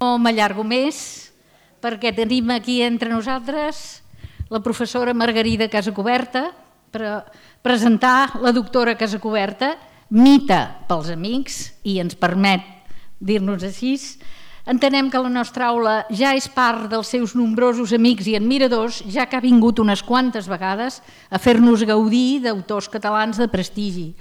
No m'allargo més, perquè tenim aquí entre nosaltres la professora Margarida Casacuberta per presentar la doctora Casacuberta, mita pels amics, i ens permet dir-nos així. Entenem que la nostra aula ja és part dels seus nombrosos amics i admiradors, ja que ha vingut unes quantes vegades a fer-nos gaudir d'autors catalans de prestigi.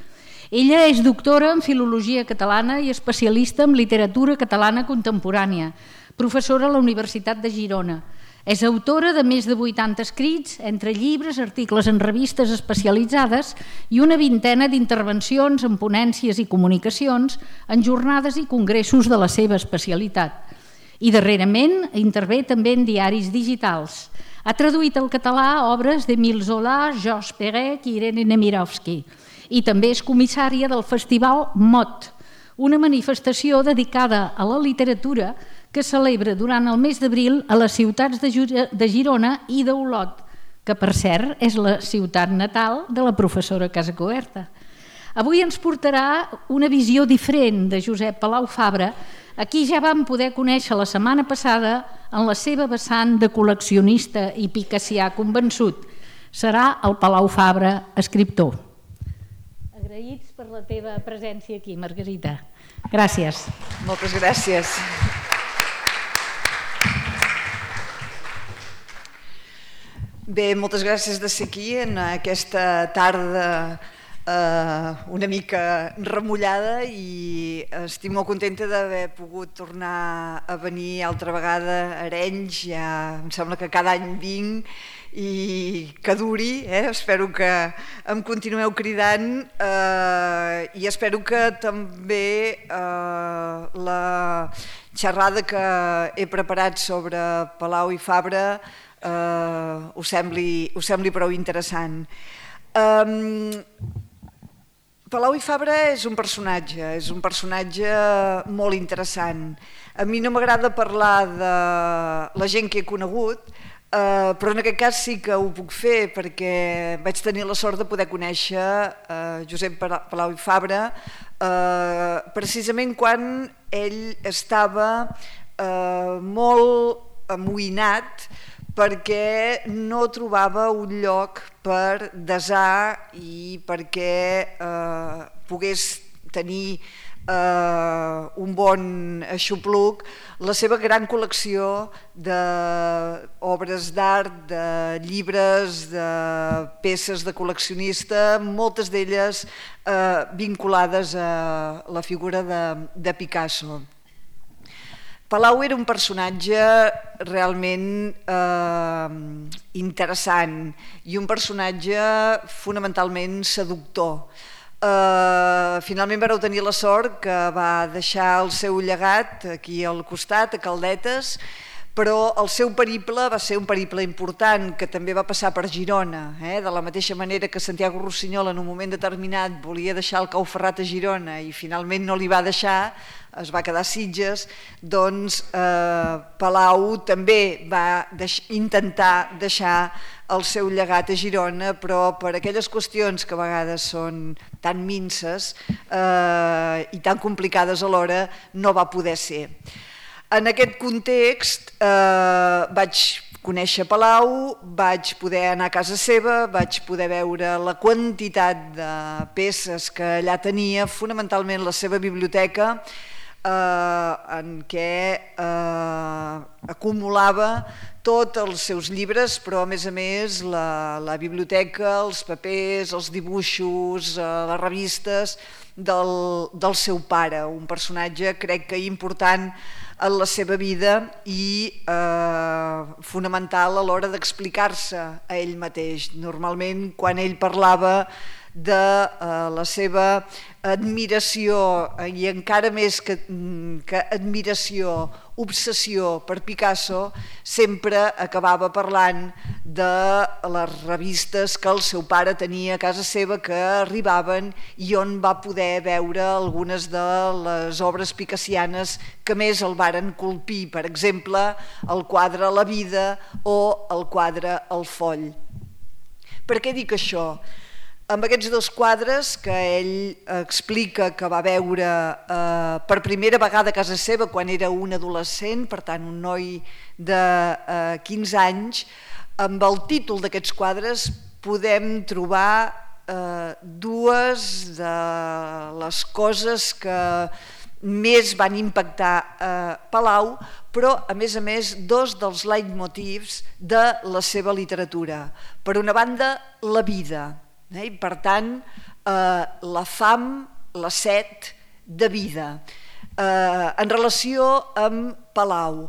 Ella és doctora en Filologia Catalana i especialista en literatura catalana contemporània, professora a la Universitat de Girona. És autora de més de 80 escrits, entre llibres, articles en revistes especialitzades i una vintena d'intervencions en ponències i comunicacions en jornades i congressos de la seva especialitat. I darrerament intervé també en diaris digitals. Ha traduït al català obres d'Émile Zola, Georges Perec i Irene Nemirovsky. I també és comissària del Festival MOT, una manifestació dedicada a la literatura que celebra durant el mes d'abril a les ciutats de Girona i d'Olot, que per cert és la ciutat natal de la professora Casacuberta. Avui ens portarà una visió diferent de Josep Palau Fabra, a qui ja vam poder conèixer la setmana passada en la seva vessant de col·leccionista i picassià convençut. Serà el Palau Fabra escriptor. Agraïts per la teva presència aquí, Margarita. Gràcies. Moltes gràcies. Bé, moltes gràcies de ser aquí en aquesta tarda una mica remullada, i estic molt contenta d'haver pogut tornar a venir altra vegada a Arenys. Ja em sembla que cada any vinc i que duri, espero que em continueu cridant, i espero que també la xerrada que he preparat sobre Palau i Fabra us sembli prou interessant. Palau i Fabra és un personatge molt interessant. A mi no m'agrada parlar de la gent que he conegut, però en aquest cas sí que ho puc fer, perquè vaig tenir la sort de poder conèixer Josep Palau i Fabra precisament quan ell estava molt amoïnat perquè no trobava un lloc per desar i perquè pogués tenir un bon aixopluc la seva gran col·lecció d'obres d'art, de llibres, de peces de col·leccionista, moltes d'elles vinculades a la figura de Picasso. Palau era un personatge realment interessant i un personatge fonamentalment seductor. Finalment vareu tenir la sort que va deixar el seu llegat aquí al costat, a Caldetes, però el seu periple va ser un periple important que també va passar per Girona. De la mateixa manera que Santiago Rossinyol en un moment determinat volia deixar el Cau Ferrat a Girona i finalment no li va deixar, es va quedar a Sitges, doncs Palau també va intentar deixar el seu llegat a Girona, però per aquelles qüestions que a vegades són tan minces i tan complicades alhora no va poder ser. En aquest context vaig conèixer Palau, vaig poder anar a casa seva, vaig poder veure la quantitat de peces que allà tenia, fonamentalment la seva biblioteca, en què acumulava tots els seus llibres, però a més la biblioteca, els papers, els dibuixos, les revistes del seu pare, un personatge crec que important en la seva vida i fonamental a l'hora d'explicar-se a ell mateix. Normalment quan ell parlava de la seva admiració i encara més que admiració, obsessió per Picasso, sempre acabava parlant de les revistes que el seu pare tenia a casa seva que arribaven i on va poder veure algunes de les obres picassianes que més el varen colpir, per exemple el quadre La vida o el quadre El foll. Per què dic això? amb aquests dos quadres que ell explica que va veure per primera vegada a casa seva quan era un adolescent, per tant un noi de 15 anys, amb el títol d'aquests quadres podem trobar dues de les coses que més van impactar Palau, però a més, dos dels leitmotivs de la seva literatura. Per una banda, la vida, i per tant, la fam, la set de vida. En relació amb Palau,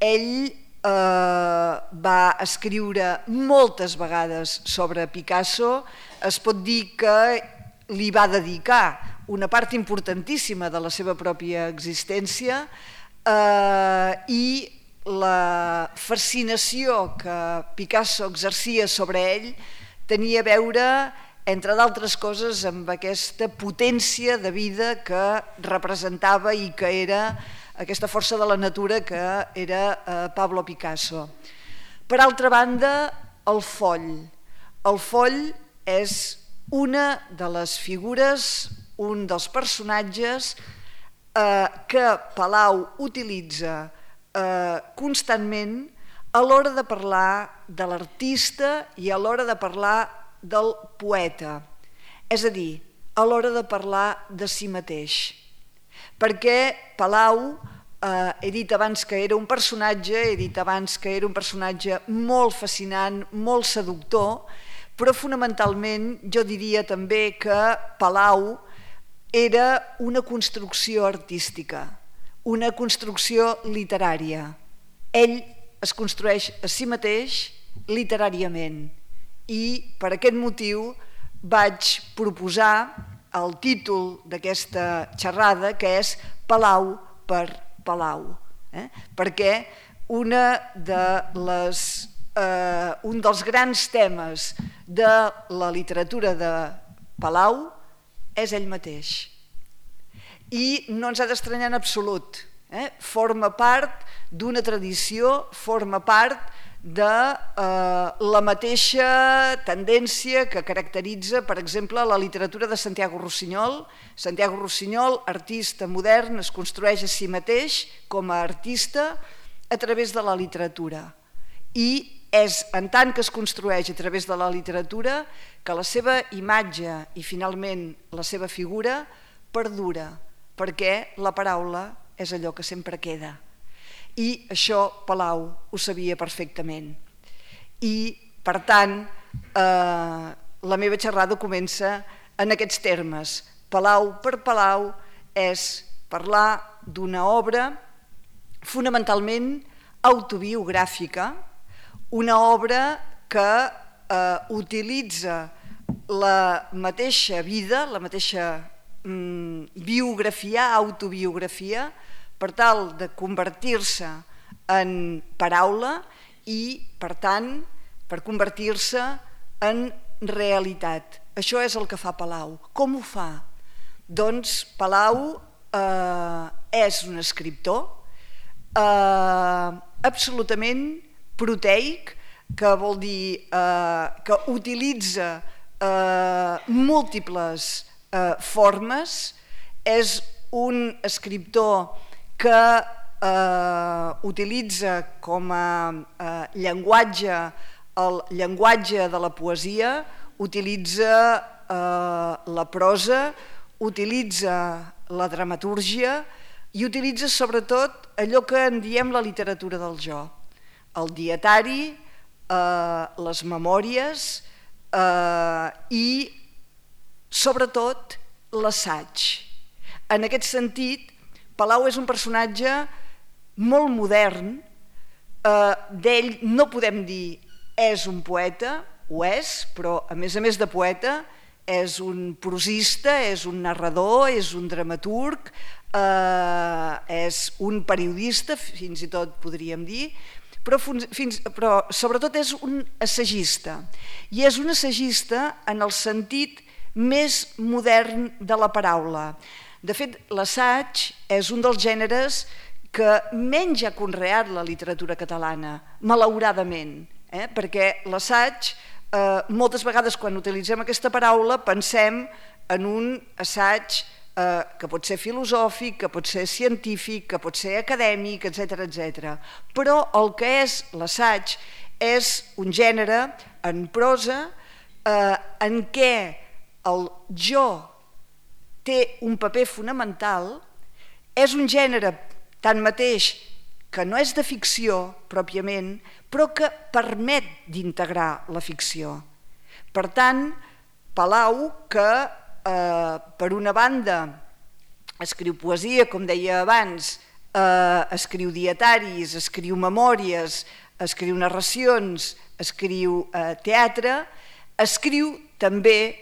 ell va escriure moltes vegades sobre Picasso, es pot dir que li va dedicar una part importantíssima de la seva pròpia existència i la fascinació que Picasso exercia sobre ell tenia a veure, entre d'altres coses, amb aquesta potència de vida que representava i que era aquesta força de la natura que era Pablo Picasso. Per altra banda, el foll. El foll és una de les figures, un dels personatges que Palau utilitza constantment a l'hora de parlar de l'artista i a l'hora de parlar del poeta, és a dir, a l'hora de parlar de si mateix. Perquè Palau, he dit abans que era un personatge, he dit abans que era un personatge molt fascinant, molt seductor, però fonamentalment jo diria també que Palau era una construcció artística, una construcció literària. Ell es construeix a si mateix literàriament i per aquest motiu vaig proposar el títol d'aquesta xerrada, que és Palau per Palau, perquè un dels grans temes de la literatura de Palau és ell mateix. I no ens ha d'estranyar en absolut. Forma part d'una tradició, forma part de la mateixa tendència que caracteritza, per exemple, la literatura de Santiago Rossinyol. Santiago Rossinyol, artista modern, es construeix a si mateix com a artista a través de la literatura. I és en tant que es construeix a través de la literatura que la seva imatge i finalment la seva figura perdura, perquè la paraula és allò que sempre queda. I això Palau ho sabia perfectament. I, per tant, la meva xerrada comença en aquests termes. Palau per Palau és parlar d'una obra fonamentalment autobiogràfica, una obra que utilitza la mateixa vida, la mateixa biografia, autobiografia, per tal de convertir-se en paraula i, per tant, per convertir-se en realitat. Això és el que fa Palau. Com ho fa? Doncs Palau és un escriptor absolutament proteic, que vol dir que utilitza múltiples formes, és un escriptor que utilitza com a llenguatge el llenguatge de la poesia, utilitza la prosa, utilitza la dramatúrgia i utilitza sobretot allò que en diem la literatura del jo, el dietari, les memòries i sobretot l'assaig. En aquest sentit, Palau és un personatge molt modern, d'ell no podem dir és un poeta, ho és, però a més de poeta és un prosista, és un narrador, és un dramaturg, és un periodista, fins i tot podríem dir, però sobretot és un assagista. I és un assagista en el sentit més modern de la paraula. De fet, l'assaig és un dels gèneres que menys ha conreat la literatura catalana, malauradament, perquè l'assaig Moltes vegades quan utilitzem aquesta paraula pensem en un assaig que pot ser filosòfic, que pot ser científic, que pot ser acadèmic, etc. Però el que és l'assaig és un gènere en prosa en què el jo té un paper fonamental, és un gènere tanmateix que no és de ficció pròpiament, però que permet d'integrar la ficció. Per tant, Palau, que per una banda escriu poesia, com deia abans, escriu dietaris, escriu memòries, escriu narracions, escriu teatre, escriu també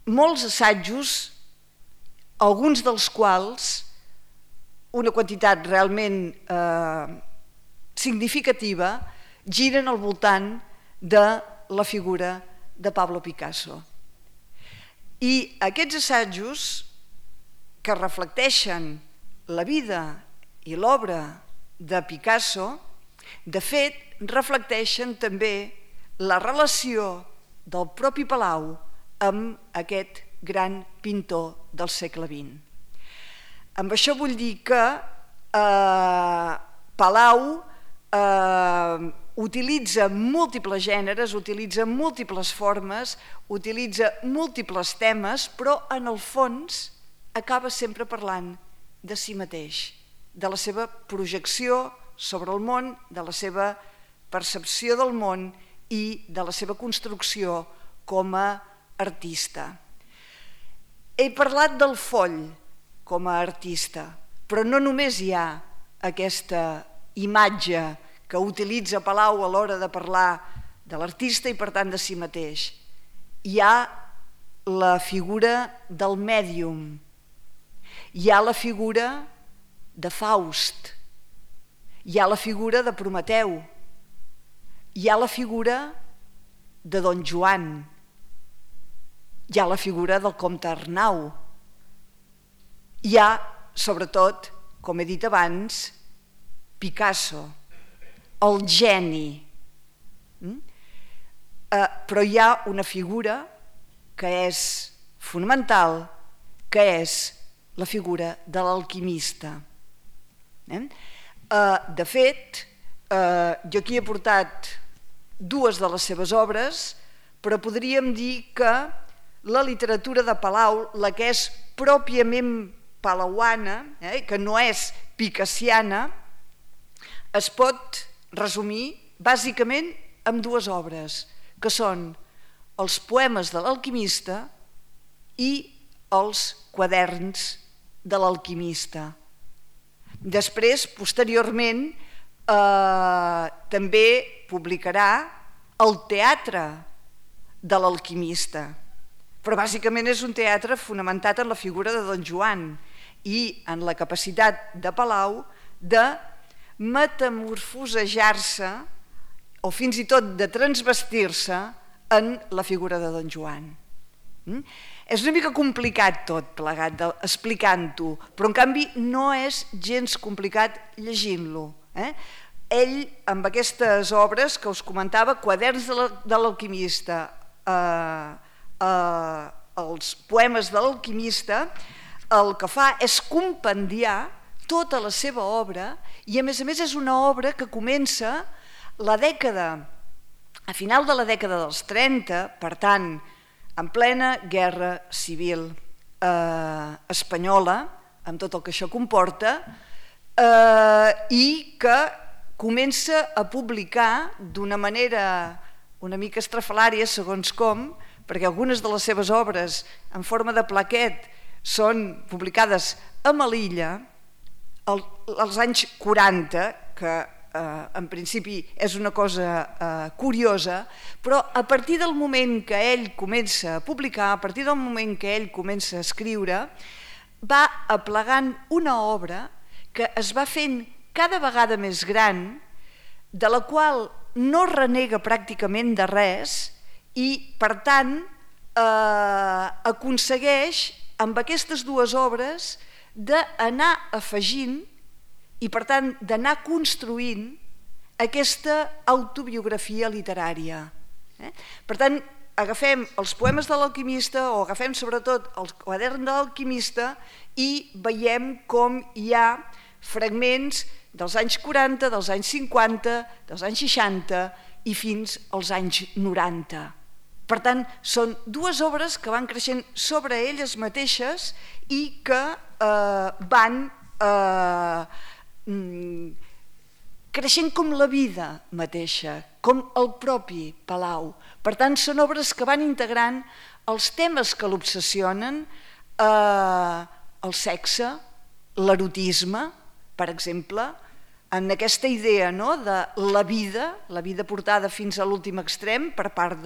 molts assajos, alguns dels quals, una quantitat realment significativa, giren al voltant de la figura de Pablo Picasso. I aquests assajos que reflecteixen la vida i l'obra de Picasso, de fet, reflecteixen també la relació del propi Palau amb aquest gran pintor del segle XX. Amb això vull dir que Palau utilitza múltiples gèneres, utilitza múltiples formes, utilitza múltiples temes, però en el fons acaba sempre parlant de si mateix, de la seva projecció sobre el món, de la seva percepció del món i de la seva construcció com a artista. He parlat del foll com a artista, però no només hi ha aquesta imatge que utilitza Palau a l'hora de parlar de l'artista i per tant de si mateix. Hi ha la figura del mèdium, hi ha la figura de Faust, hi ha la figura de Prometeu, hi ha la figura de Don Joan, hi ha la figura del comte Arnau, hi ha, sobretot, com he dit abans, Picasso, el geni. Però hi ha una figura que és fonamental, que és la figura de l'alquimista. De fet, jo aquí he portat dues de les seves obres, però podríem dir que la literatura de Palau, la que és pròpiament palauana, que no és picassiana, es pot resumir bàsicament amb dues obres, que són els poemes de l'alquimista i els quaderns de l'alquimista. Després, posteriorment, també publicarà el teatre de l'alquimista, però bàsicament és un teatre fonamentat en la figura de Don Joan i en la capacitat de Palau de metamorfosejar-se o fins i tot de transvestir-se en la figura de Don Joan. És una mica complicat tot plegat explicant-ho, però en canvi no és gens complicat llegint-lo. Ell, amb aquestes obres que us comentava, quaderns de l'alquimista, els poemes de l'alquimista, el que fa és compendiar tota la seva obra i a més és una obra que comença a final de la dècada dels 30, per tant, en plena guerra civil espanyola, amb tot el que això comporta, i que comença a publicar d'una manera una mica estrafalària, segons com, perquè algunes de les seves obres en forma de plaquet són publicades a Melilla als anys 40, que en principi és una cosa curiosa, però a partir del moment que ell comença a publicar, a partir del moment que ell comença a escriure, va aplegant una obra que es va fent cada vegada més gran, de la qual no renega pràcticament de res i, per tant, aconsegueix amb aquestes dues obres d'anar afegint i, per tant, d'anar construint aquesta autobiografia literària. Per tant, agafem els poemes de l'alquimista o agafem sobretot el quadern de l'alquimista i veiem com hi ha fragments dels anys 40, dels anys 50, dels anys 60 i fins als anys 90. Per tant, són dues obres que van creixent sobre elles mateixes i que van creixent com la vida mateixa, com el propi Palau. Per tant, són obres que van integrant els temes que l'obsessionen, el sexe, l'erotisme, per exemple, en aquesta idea de la vida portada fins a l'últim extrem per part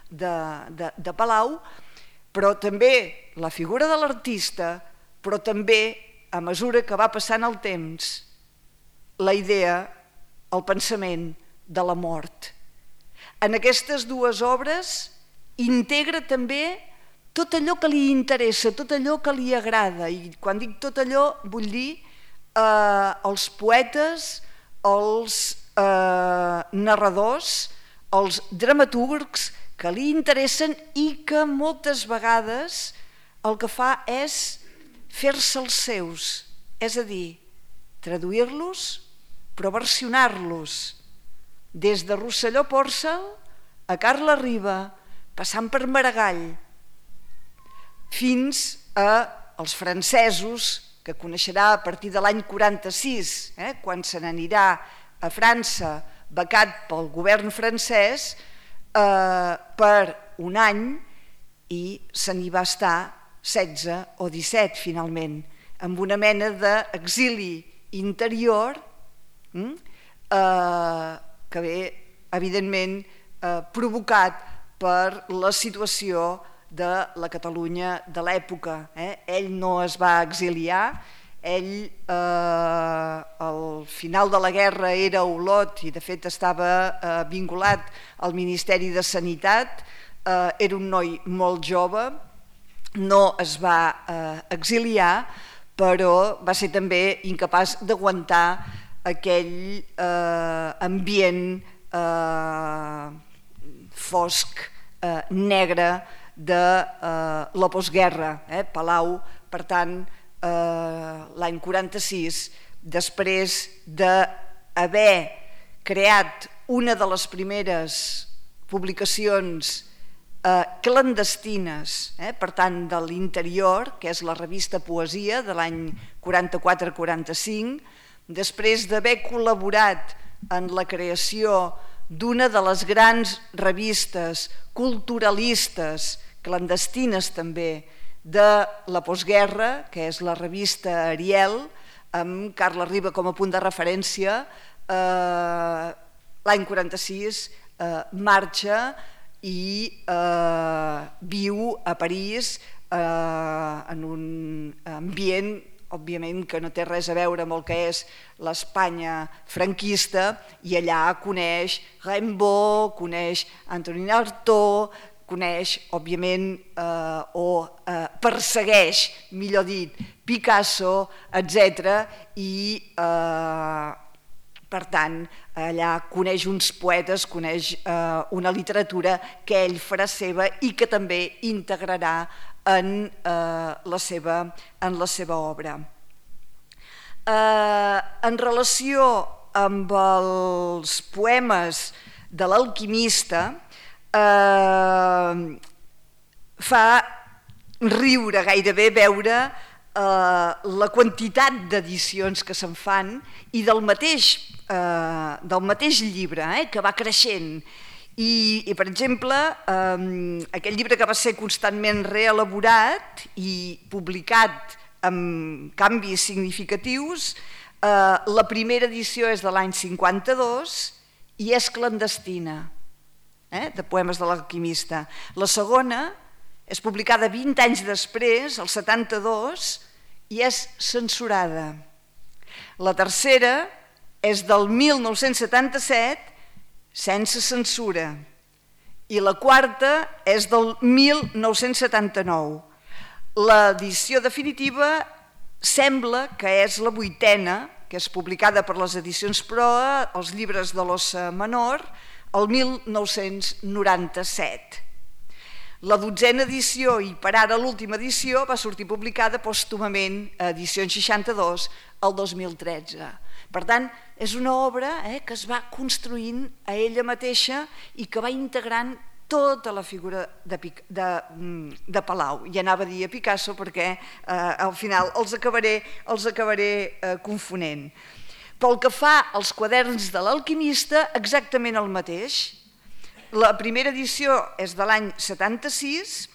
de Palau, però també la figura de l'artista, però també, a mesura que va passant el temps, la idea, el pensament de la mort. En aquestes dues obres integra també tot allò que li interessa, tot allò que li agrada, i quan dic tot allò vull dir els poetes, els narradors, els dramaturgs que li interessen i que moltes vegades el que fa és fer-se els seus, és a dir, traduir-los però versionar-los, des de Rosselló Pòrcel a Carla Riba, passant per Maragall, fins als francesos, que coneixerà a partir de l'any 46, quan se n'anirà a França, becat pel govern francès, per un any, i se n'hi va estar 16 o 17 finalment, amb una mena d'exili interior que ve, evidentment, provocat per la situació de la Catalunya de l'època. Ell no es va exiliar, ell al final de la guerra era a Olot i de fet estava vinculat al Ministeri de Sanitat, era un noi molt jove, no es va exiliar, però va ser també incapaç d'aguantar aquell ambient fosc, negre de la postguerra. Palau, per tant, l'any 46, després d'haver creat una de les primeres publicacions clandestines, per tant, de l'interior, que és la revista Poesia de l'any 44-45, després d'haver col·laborat en la creació d'una de les grans revistes culturalistes, clandestines també, de la postguerra, que és la revista Ariel, amb Carla Riba com a punt de referència, l'any 46 marxa i viu a París en un ambient, òbviament, que no té res a veure amb el que és l'Espanya franquista, i allà coneix Rimbaud, coneix Antonin Artaud, coneix, òbviament, o persegueix, millor dit, Picasso, etc. I, per tant, allà coneix uns poetes, coneix una literatura que ell farà seva i que també integrarà en la seva obra. En relació amb els poemes de l'alquimista, fa riure gairebé veure la quantitat d'edicions que se'n fan i del mateix llibre, que va creixent. I per exemple, aquest llibre que va ser constantment reelaborat i publicat amb canvis significatius, la primera edició és de l'any 52 i és clandestina, de poemes de l'alquimista. La segona és publicada 20 anys després, el 72, i és censurada. La tercera és del 1977, sense censura, i la quarta és del 1979. L'edició definitiva sembla que és la 8ª, que és publicada per les edicions Proa, els llibres de l'Ossa Menor, el 1997. La 12a edició, i per ara l'última edició, va sortir publicada pòstumament a Edicions 62 el 2013. Per tant, és una obra que es va construint a ella mateixa i que va integrant tota la figura de Palau. I anava a dir a Picasso perquè al final els acabaré confonent. Pel que fa als quaderns de l'Alquimista, exactament el mateix. La primera edició és de l'any 76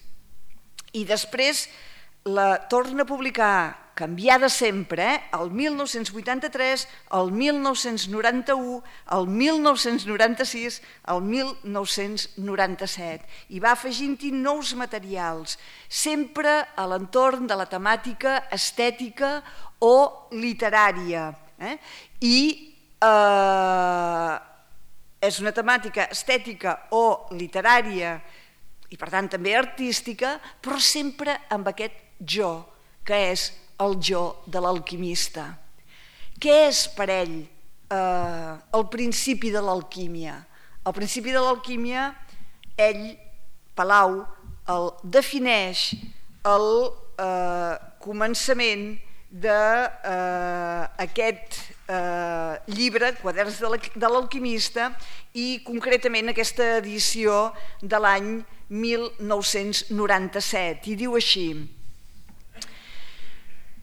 i després la torna a publicar, canviada sempre, el 1983, el 1991, el 1996, el 1997, i va afegint-hi nous materials, sempre a l'entorn de la temàtica estètica o literària. I és una temàtica estètica o literària i per tant també artística, però sempre amb aquest jo, que és el jo de l'alquimista. Què és per ell el principi de l'alquímia? El principi de l'alquímia, ell, Palau, el defineix al començament d'aquest llibre, Quaderns de l'Alquimista, i concretament aquesta edició de l'any 1997, i diu així: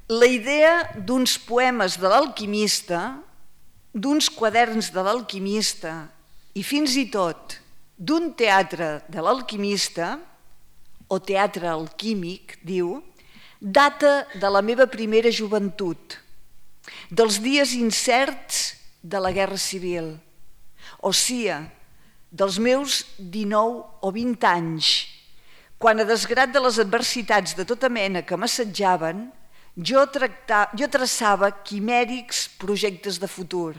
la idea d'uns poemes de l'alquimista, d'uns quaderns de l'alquimista i fins i tot d'un teatre de l'alquimista, o teatre alquímic, diu, data de la meva primera joventut, dels dies incerts de la Guerra Civil, o sia, dels meus 19 o 20 anys, quan a desgrat de les adversitats de tota mena que m'assetjaven, jo traçava quimèrics projectes de futur,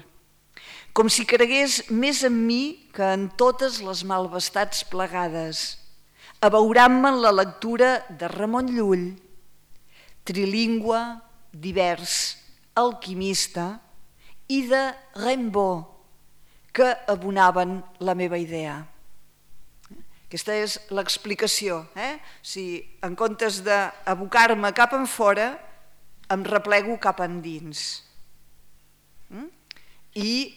com si cregués més en mi que en totes les malvestats plegades, abeurant-me en la lectura de Ramon Llull, trilingüe, divers, alquimista, i de Rimbaud, que abonaven la meva idea. Aquesta és l'explicació. Si en comptes d'abocar-me cap enfora, em replego cap endins. I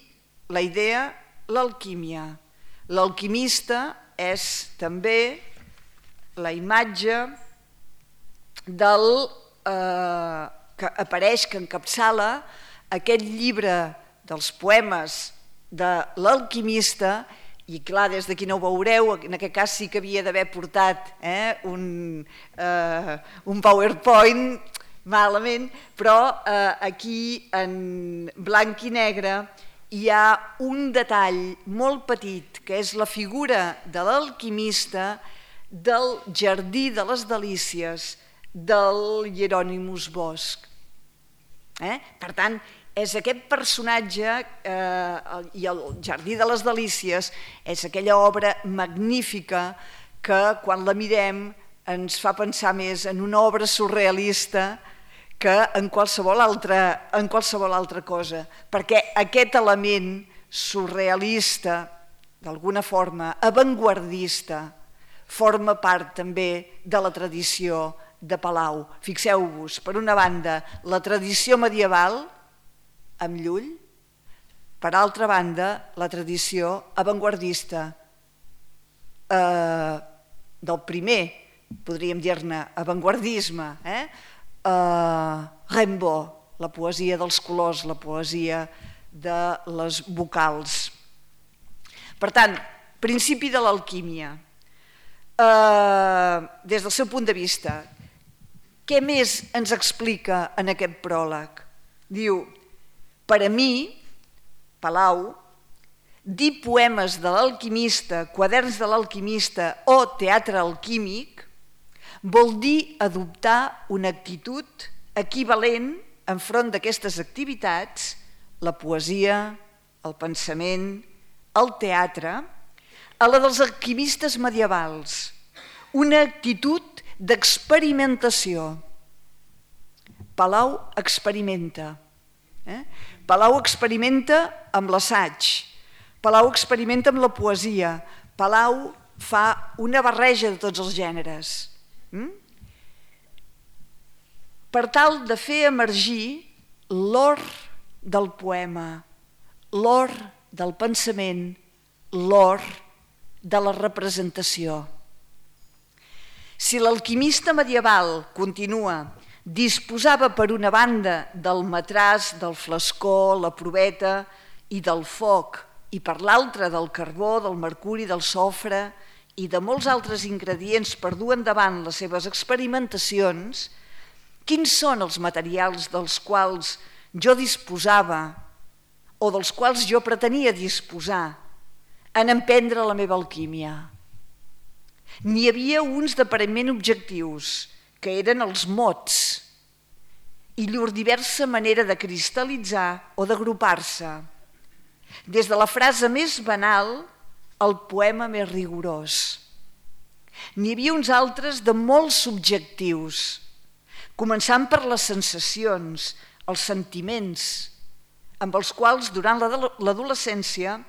la idea, l'alquímia. L'alquimista és també la imatge del que apareix, que encapçala aquest llibre dels poemes de l'alquimista, i clar, des d'aquí no ho veureu, en aquest cas sí que havia d'haver portat un PowerPoint, malament, però aquí en blanc i negre hi ha un detall molt petit, que és la figura de l'alquimista del Jardí de les Delícies, del Hieronymus Bosch. Per tant, és aquest personatge, i el Jardí de les Delícies és aquella obra magnífica que quan la mirem ens fa pensar més en una obra surrealista que en qualsevol altra cosa, perquè aquest element surrealista, d'alguna forma avantguardista, forma part també de la tradició de Palau. Fixeu-vos, per una banda, la tradició medieval, amb Llull, per altra banda, la tradició avantguardista del primer, podríem dir-ne, avantguardisme, Rimbaud, la poesia dels colors, la poesia de les vocals. Per tant, principi de l'alquímia. Des del seu punt de vista, què més ens explica en aquest pròleg? Diu: per a mi, Palau, dir poemes de l'alquimista, quaderns de l'alquimista o teatre alquímic vol dir adoptar una actitud equivalent enfront d'aquestes activitats, la poesia, el pensament, el teatre, a la dels alquimistes medievals, una actitud d'experimentació. Palau experimenta. Palau experimenta amb l'assaig. Palau experimenta amb la poesia. Palau fa una barreja de tots els gèneres. Per tal de fer emergir l'or del poema, l'or del pensament, l'or de la representació. Si l'alquimista medieval, continua, disposava per una banda del matràs, del flascó, la proveta i del foc, i per l'altra del carbó, del mercuri, del sofre i de molts altres ingredients per dur endavant les seves experimentacions, quins són els materials dels quals jo disposava o dels quals jo pretenia disposar en emprendre la meva alquímia? N'hi havia uns d'aparentment objectius, que eren els mots, i llur diversa manera de cristal·litzar o d'agrupar-se, des de la frase més banal al poema més rigorós. N'hi havia uns altres de molt subjectius, començant per les sensacions, els sentiments, amb els quals durant l'adolescència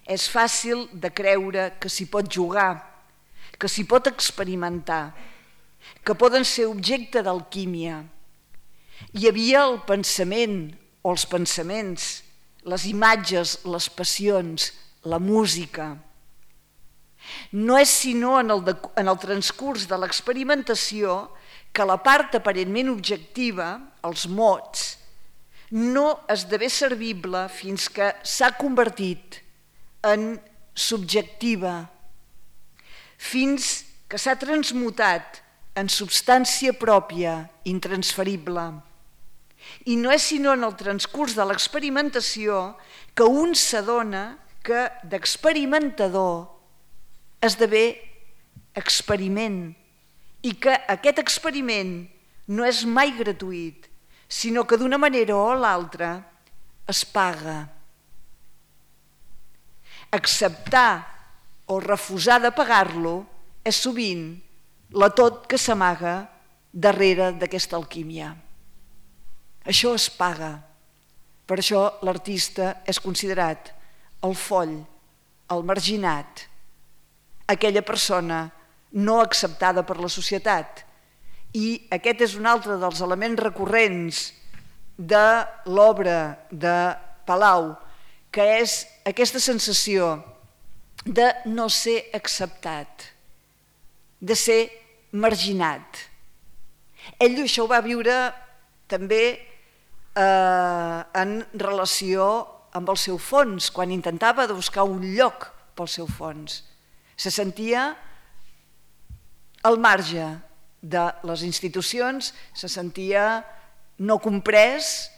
és fàcil de creure que s'hi pot jugar, que s'hi pot experimentar, que poden ser objecte d'alquímia. Hi havia el pensament o els pensaments, les imatges, les passions, la música. No és sinó en el transcurs de l'experimentació que la part aparentment objectiva, els mots, no esdevé servible fins que s'ha convertit en subjectiva, fins que s'ha transmutat en substància pròpia, intransferible. I no és sinó en el transcurs de l'experimentació que un s'adona que d'experimentador esdevé experiment i que aquest experiment no és mai gratuït, sinó que d'una manera o l'altra es paga. Acceptar o refusar de pagar-lo és sovint la tot que s'amaga darrere d'aquesta alquímia. Això es paga. Per això l'artista és considerat el foll, el marginat, aquella persona no acceptada per la societat. I aquest és un altre dels elements recurrents de l'obra de Palau, que és aquesta sensació de no ser acceptat, de ser marginat. Ell això ho va viure també en relació amb el seu fons, quan intentava buscar un lloc pel seu fons. Se sentia al marge de les institucions, se sentia no comprès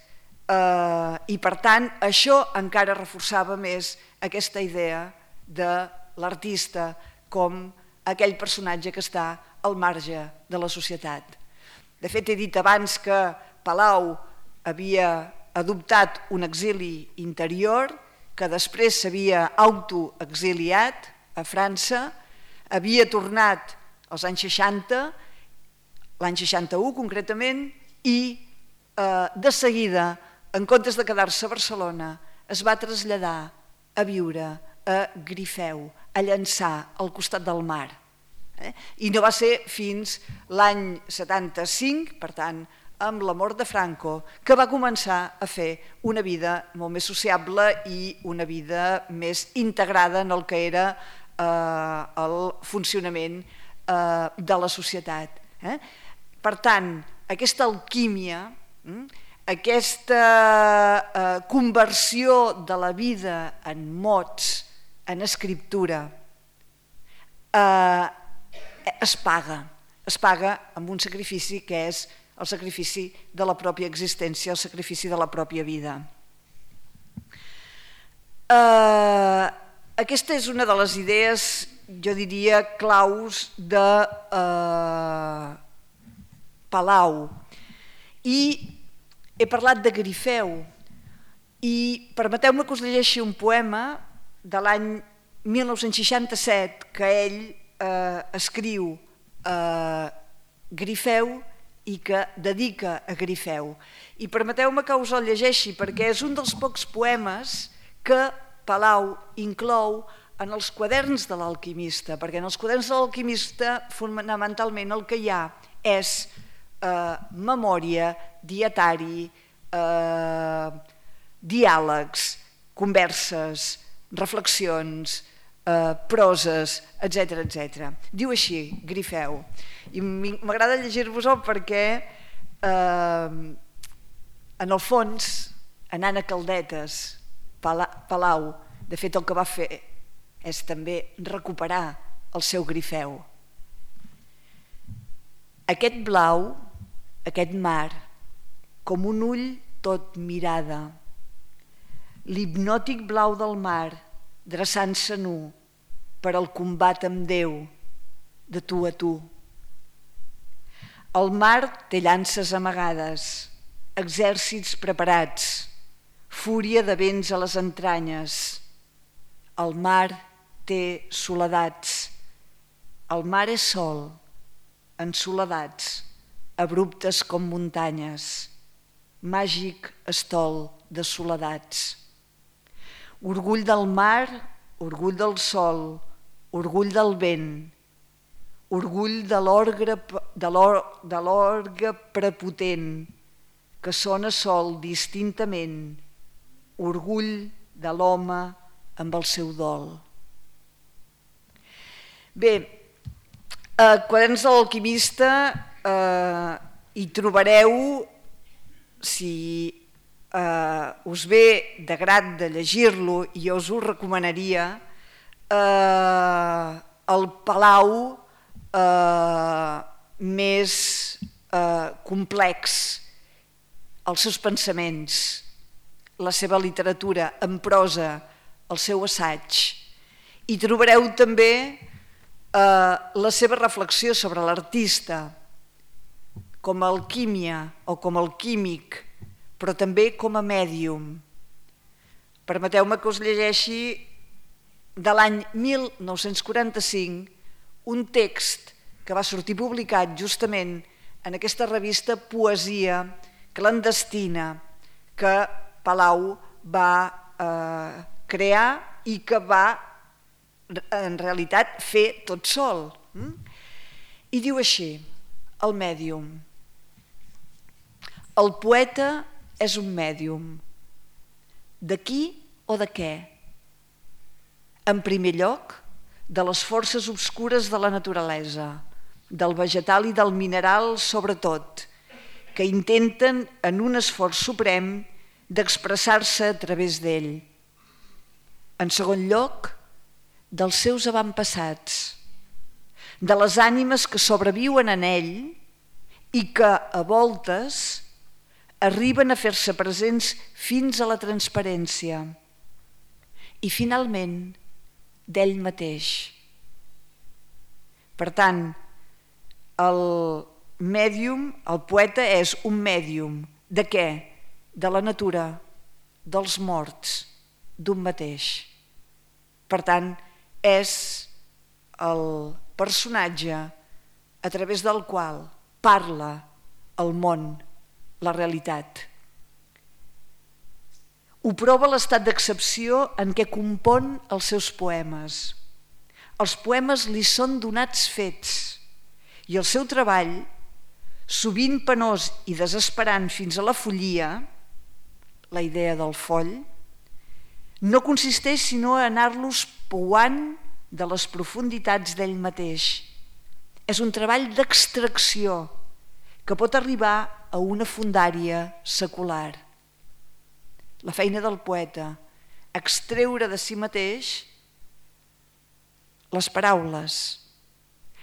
i per tant això encara reforçava més aquesta idea de l'artista com aquell personatge que està al marge de la societat. De fet, he dit abans que Palau havia adoptat un exili interior, que després s'havia autoexiliat a França, havia tornat als anys 60, l'any 61 concretament, i de seguida, en comptes de quedar-se a Barcelona, es va traslladar a viure a Grifeu, a Llançà, al costat del mar. I no va ser fins l'any 75, per tant, amb la mort de Franco, que va començar a fer una vida molt més sociable i una vida més integrada en el que era el funcionament de la societat. Per tant, aquesta alquímia, aquesta conversió de la vida en mots, en escriptura, es paga amb un sacrifici que és el sacrifici de la pròpia existència, el sacrifici de la pròpia vida. Aquesta és una de les idees, jo diria, claus de Palau. I he parlat de Grifeu i permeteu-me que us llegeixi un poema de l'any 1967 que ell escriu a Grifeu i que dedica a Grifeu. I permeteu-me que us el llegeixi perquè és un dels pocs poemes que Palau inclou en els quaderns de l'alquimista, perquè en els quaderns de l'alquimista fonamentalment el que hi ha és memòria, dietari, diàlegs, converses, reflexions, proses, etc. Diu així, Grifeu. I m'agrada llegir-vos-ho perquè, en el fons, anant a Caldetes, Palau, de fet el que va fer és també recuperar el seu Grifeu. Aquest blau, aquest mar, com un ull tot mirada, l'hipnòtic blau del mar, dreçant-se nu per al combat amb Déu, de tu a tu. El mar té llances amagades, exèrcits preparats, fúria de vents a les entranyes. El mar té soledats. El mar és sol, en soledats, abruptes com muntanyes. Màgic estol de soledats. Orgull del mar, orgull del sol, orgull del vent, orgull de l'orgue prepotent que sona sol distintament, orgull de l'home amb el seu dol. Bé, quaderns de l'alquimista hi trobareu, si us ve de grat de llegir-lo, i jo us ho recomanaria, el Palau més complex, els seus pensaments, la seva literatura en prosa, el seu assaig. Hi trobareu també la seva reflexió sobre l'artista com a alquímia o com a alquímic, però també com a mèdium. Permeteu-me que us llegeixi de l'any 1945 un text que va sortir publicat justament en aquesta revista Poesia clandestina que Palau va crear i que va en realitat fer tot sol. I diu així, el mèdium. El poeta és un mèdium. De qui o de què? En primer lloc, de les forces obscures de la naturalesa, del vegetal i del mineral sobretot, que intenten en un esforç suprem d'expressar-se a través d'ell. En segon lloc, dels seus avantpassats, de les ànimes que sobreviuen en ell i que, a voltes, arriben a fer-se presents fins a la transparència. I, finalment, d'ell mateix. Per tant, el mèdium, el poeta és un mèdium. De què? De la natura, dels morts, d'un mateix. Per tant, és el personatge a través del qual parla el món, la realitat. Ho prova l'estat d'excepció en què compon els seus poemes. Els poemes li són donats fets i el seu treball, sovint penós i desesperant fins a la follia, la idea del foll, no consisteix sinó a anar-los pouant de les profunditats d'ell mateix. És un treball d'extracció que pot arribar a una fondària secular. La feina del poeta, extreure de si mateix les paraules.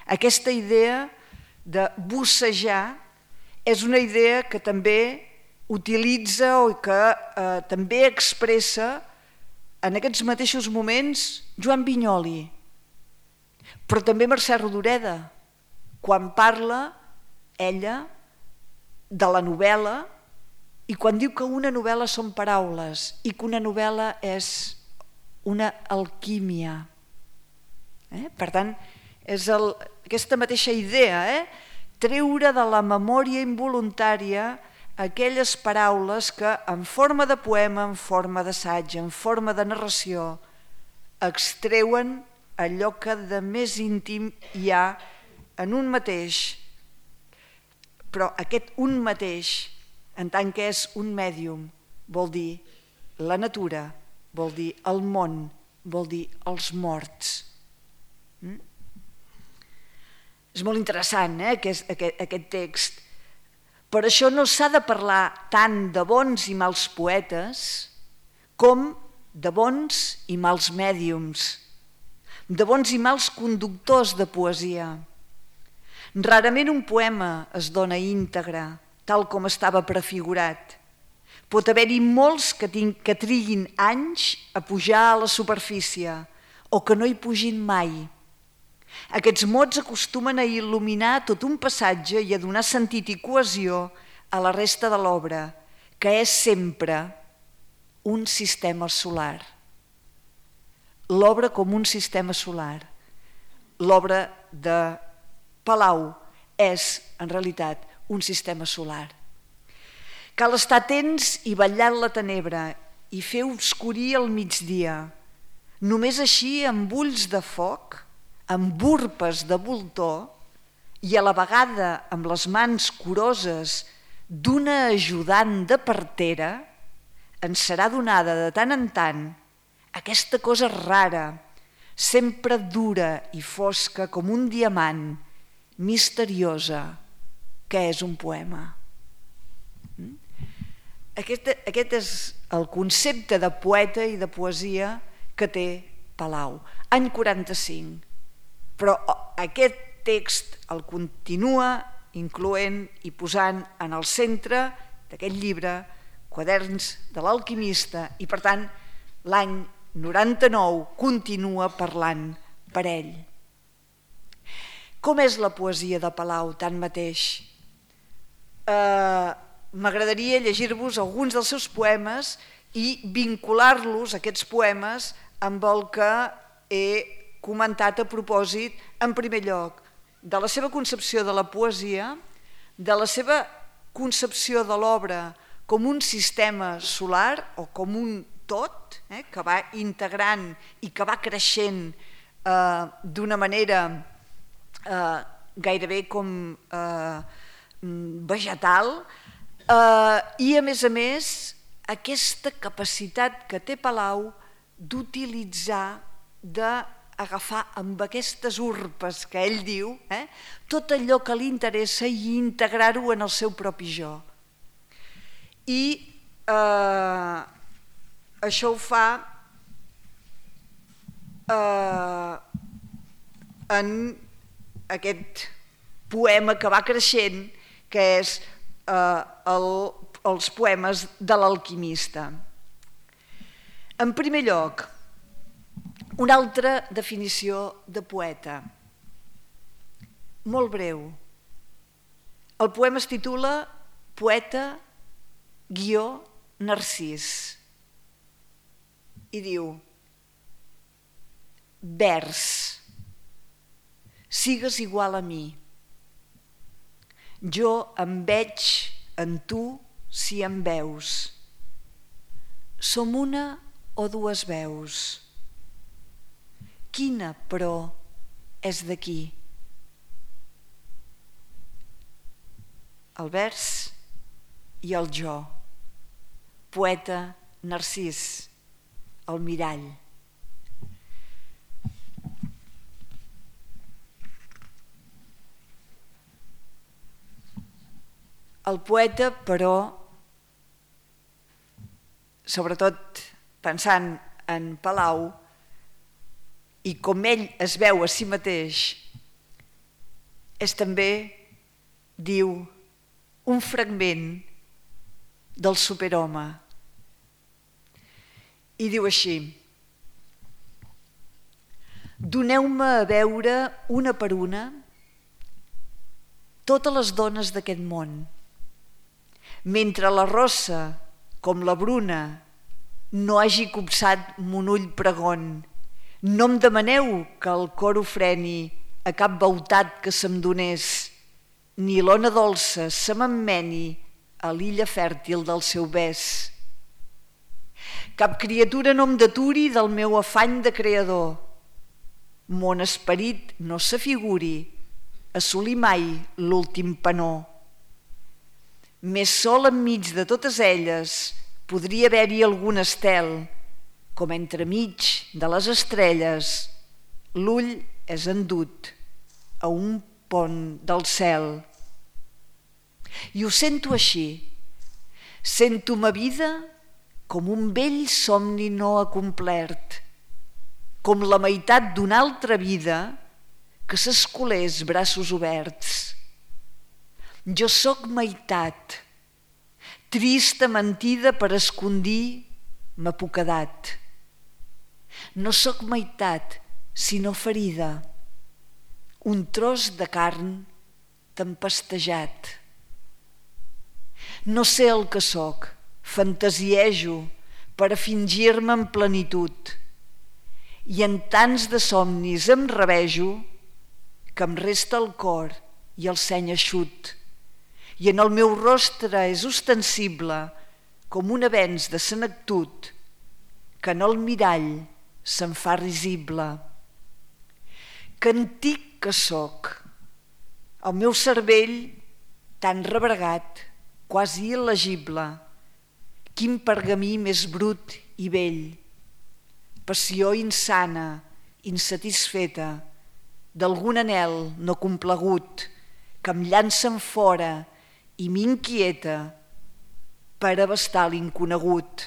Aquesta idea de bussejar és una idea que també utilitza o que també expressa en aquests mateixos moments Joan Vinyoli, però també Mercè Rodoreda, quan parla ella de la novel·la i quan diu que una novel·la són paraules i que una novel·la és una alquímia. Per tant, és aquesta mateixa idea, treure de la memòria involuntària aquelles paraules que en forma de poema, en forma d'assaig, en forma de narració, extreuen allò que de més íntim hi ha en un mateix. Però aquest un mateix, en tant que és un mèdium, vol dir la natura, vol dir el món, vol dir els morts. És molt interessant, aquest text. Per això no s'ha de parlar tant de bons i mals poetes com de bons i mals mèdiums, de bons i mals conductors de poesia. Rarament un poema es dona íntegre, tal com estava prefigurat. Pot haver-hi molts que triguin anys a pujar a la superfície o que no hi pugin mai. Aquests mots acostumen a il·luminar tot un passatge i a donar sentit i cohesió a la resta de l'obra, que és sempre un sistema solar. L'obra com un sistema solar. L'obra de Palau és, en realitat, un sistema solar. Cal estar atents i vetllar la tenebra i fer obscurir el migdia. Només així, amb ulls de foc, amb urpes de voltor i a la vegada amb les mans curoses d'una ajudant de partera, ens serà donada de tant en tant aquesta cosa rara, sempre dura i fosca com un diamant, misteriosa, que és un poema. Aquest és el concepte de poeta i de poesia que té Palau. Any 45. Però aquest text el continua incloent i posant en el centre d'aquest llibre Quaderns de l'alquimista i, per tant, l'any 99 continua parlant per ell. Com és la poesia de Palau, tanmateix? M'agradaria llegir-vos alguns dels seus poemes i vincular-los, aquests poemes, amb el que he comentat a propòsit, en primer lloc, de la seva concepció de la poesia, de la seva concepció de l'obra com un sistema solar o com un tot, que va integrant i que va creixent d'una manera gairebé com vegetal, i a més, aquesta capacitat que té Palau d'utilitzar, d'agafar amb aquestes urpes que ell diu, tot allò que li interessa i integrar-ho en el seu propi jo. I això ho fa en aquest poema que va creixent, que és els poemes de l'alquimista. En primer lloc, una altra definició de poeta, molt breu. El poema es titula Poeta - Narcís i diu: vers, sigues igual a mi. Jo em veig en tu si em veus. Som una o dues veus. Quina, però, és d'aquí? El vers i el jo. Poeta Narcís, el mirall. El poeta, però, sobretot pensant en Palau, i com ell es veu a si mateix, és també, diu, un fragment del superhome. I diu així: doneu-me a veure una per una totes les dones d'aquest món, mentre la rossa, com la bruna, no hagi copsat mon ull pregon. No em demaneu que el cor ho freni a cap beutat que se'm donés, ni l'ona dolça se m'emmeni a l'illa fèrtil del seu bes. Cap criatura no em deturi del meu afany de creador. Mon esperit no s'afiguri assolir mai l'últim penó. Més sol enmig de totes elles podria haver-hi algun estel, com entremig de les estrelles l'ull és endut a un pont del cel. I ho sento així, sento ma vida com un vell somni no acomplert, com la meitat d'una altra vida que s'escolés braços oberts. Jo sóc meitat, trista mentida per escondir ma poquedat. No sóc meitat, sinó ferida, un tros de carn tempestejat. No sé el que sóc, fantasiejo per a fingir-me en plenitud, i en tants de somnis em rabejo que em resta el cor i el seny eixut, i en el meu rostre és ostensible com un avenç de senectut que en el mirall se'n fa risible. Que antic que sóc, el meu cervell tan rebregat, quasi il·legible, quin pergamí més brut i vell, passió insana, insatisfeta, d'algun anhel no complegut que em llancen fora i m'inquieta per abastar l'inconegut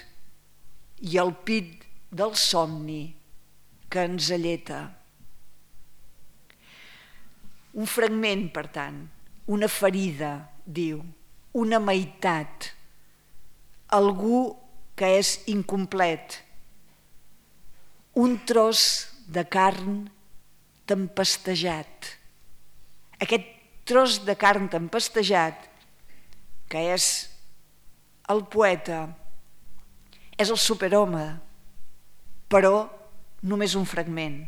i el pit del somni que ens alleta. Un fragment, per tant, una ferida, diu, una meitat, algú que és incomplet, un tros de carn tempestejat. Aquest tros de carn tempestejat, que és el poeta, és el superhome, però només un fragment.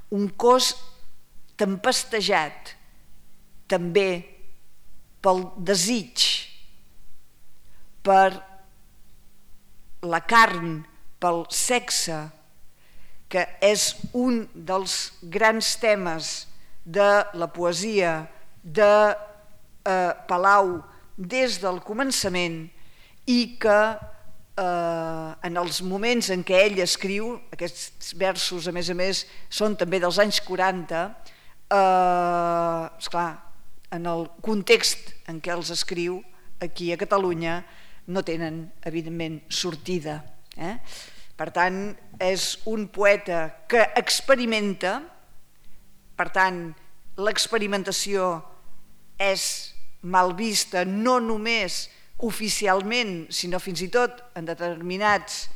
Un cos tempestejat també pel desig, per la carn, pel sexe, que és un dels grans temes de la poesia de Palau des del començament, i que en els moments en què ell escriu, aquests versos a més són també dels anys 40, esclar, en el context en què els escriu aquí a Catalunya no tenen evidentment sortida. Per tant, és un poeta que experimenta, per tant, l'experimentació és mal vista no només oficialment, sinó fins i tot en determinats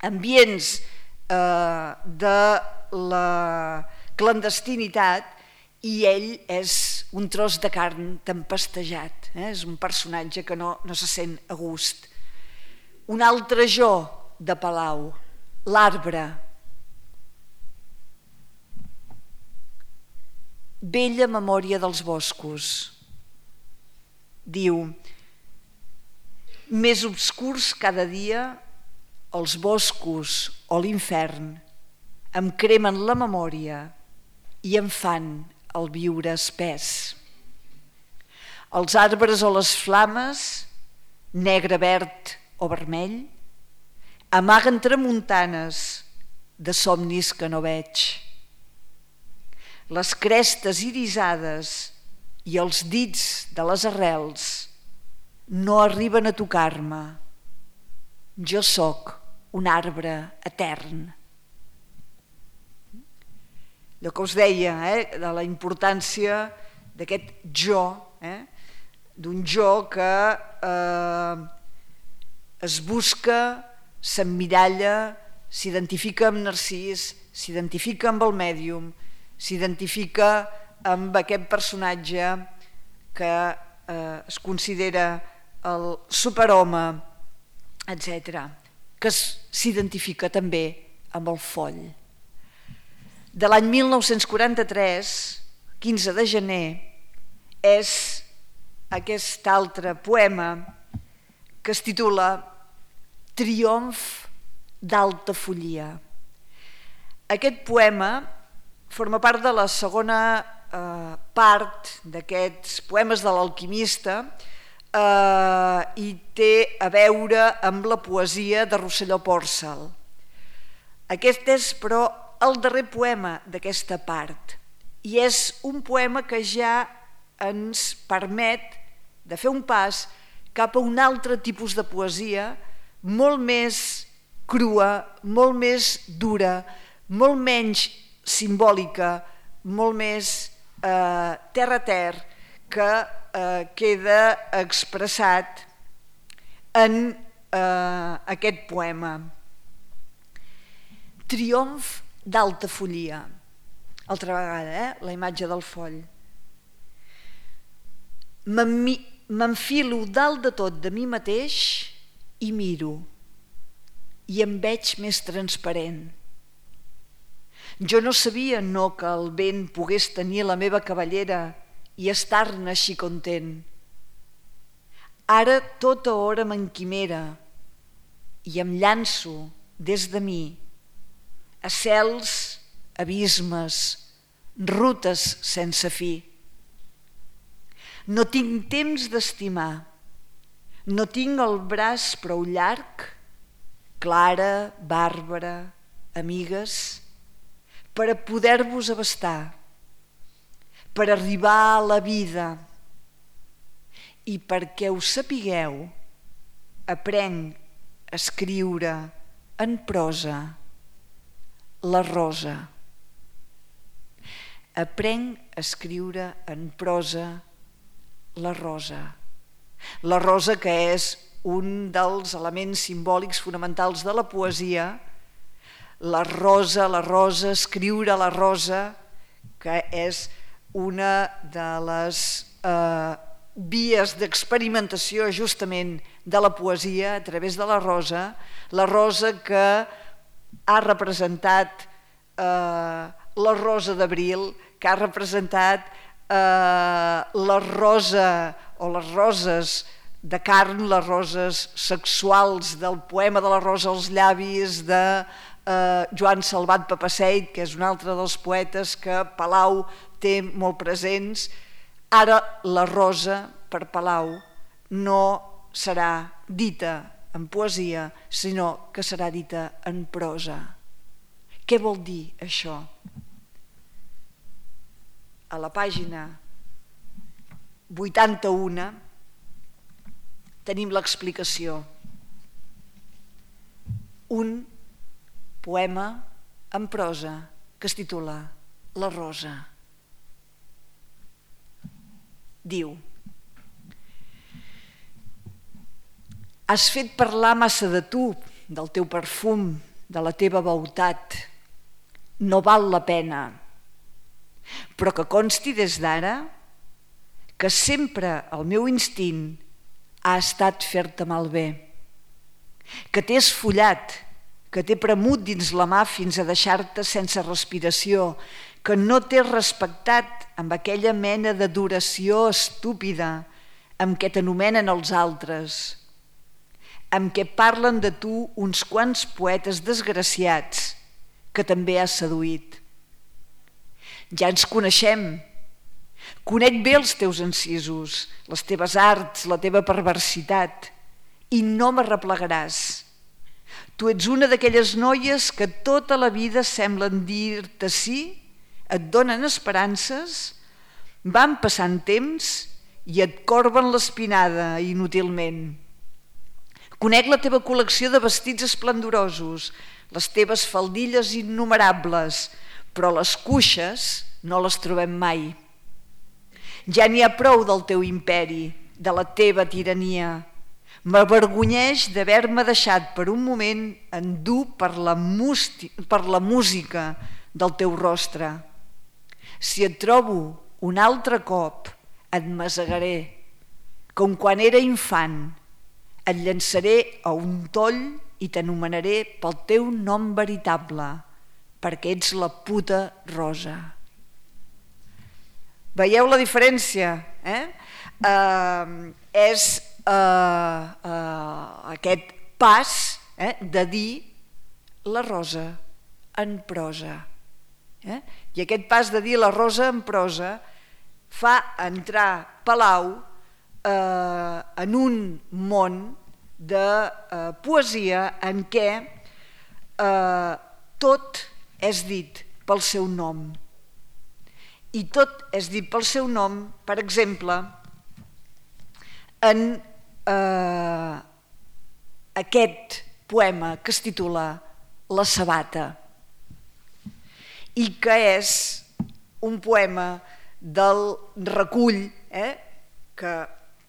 ambients de la clandestinitat, i ell és un tros de carn tempestejat, és un personatge que no se sent a gust. Un altre jo de Palau, l'arbre. Bella memòria dels boscos. Diu, més obscurs cada dia els boscos o l'infern em cremen la memòria i em fan el viure espès. Els arbres o les flames, negre, verd o vermell, amaguen tramuntanes de somnis que no veig. Les crestes irisades i els dits de les arrels no arriben a tocar-me. Jo sóc un arbre etern. Allò que us deia, de la importància d'aquest jo, d'un jo que es busca, s'emmiralla, s'identifica amb Narcís, s'identifica amb el mèdium, s'identifica amb aquest personatge que es considera el superhome, etc., que s'identifica també amb el foll. De l'any 1943, 15 de gener, és aquest altre poema que es titula Triomf d'Altafollia. Aquest poema forma part de la segona part d'aquests poemes de l'Alquimista i té a veure amb la poesia de Rosselló Pòrcel. Aquest és, però, el darrer poema d'aquesta part i és un poema que ja ens permet de fer un pas cap a un altre tipus de poesia molt més crua, molt més dura, molt menys simbòlica, molt més terra a terra, que queda expressat en aquest poema. Triomf d'Altafollia. Altra vegada, la imatge del foll. M'enfilo dalt de tot de mi mateix i miro, i em veig més transparent. Jo no sabia que el vent pogués tenir la meva cabellera i estar-ne així content. Ara tota hora m'enquimera i em llanço des de mi a cels, abismes, rutes sense fi. No tinc temps d'estimar, no tinc el braç prou llarg, Clara, Bàrbara, amigues, per a poder-vos abastar, per arribar a la vida. I perquè ho sapigueu, aprenc a escriure en prosa la rosa. Aprenc a escriure en prosa la rosa. La rosa, que és un dels elements simbòlics fonamentals de la poesia, la rosa, escriure la rosa, que és una de les vies d'experimentació justament de la poesia a través de la rosa que ha representat la rosa d'abril, que ha representat la rosa o les roses de carn, les roses sexuals del poema de la rosa als llavis de Joan Salvat Papasseit, que és un altre dels poetes que Palau té molt presents. Ara la rosa per Palau no serà dita en poesia, sinó que serà dita en prosa. Què vol dir això? A la pàgina 81 tenim l'explicació. Un poema en prosa que es titula La rosa. Diu: has fet parlar massa de tu, del teu perfum, de la teva beautat. No val la pena. Però que consti des d'ara que sempre el meu instint ha estat fer-te malbé, que t'he esfollat, que t'he premut dins la mà fins a deixar-te sense respiració, que no t'he respectat amb aquella mena d'adoració estúpida amb què t'anomenen els altres, amb què parlen de tu uns quants poetes desgraciats que també has seduït. Ja ens coneixem. Conec bé els teus encisos, les teves arts, la teva perversitat, i no m'arreplegaràs. Tu ets una d'aquelles noies que tota la vida semblen dir-te sí, et donen esperances, van passant temps i et corben l'espinada inútilment. Conec la teva col·lecció de vestits esplendorosos, les teves faldilles innumerables, però les cuixes no les trobem mai. Ja n'hi ha prou del teu imperi, de la teva tirania. M'avergonyeix d'haver-me deixat per un moment endur per la música del teu rostre. Si et trobo un altre cop, et masegaré, com quan era infant. Et llançaré a un toll i t'anomenaré pel teu nom veritable, perquè ets la puta rosa. Veieu la diferència? és aquest pas de dir la rosa en prosa. I aquest pas de dir la rosa en prosa fa entrar Palau en un món de poesia en què tot és dit pel seu nom. I tot és dit pel seu nom, per exemple, en aquest poema que es titula La sabata, i que és un poema del recull que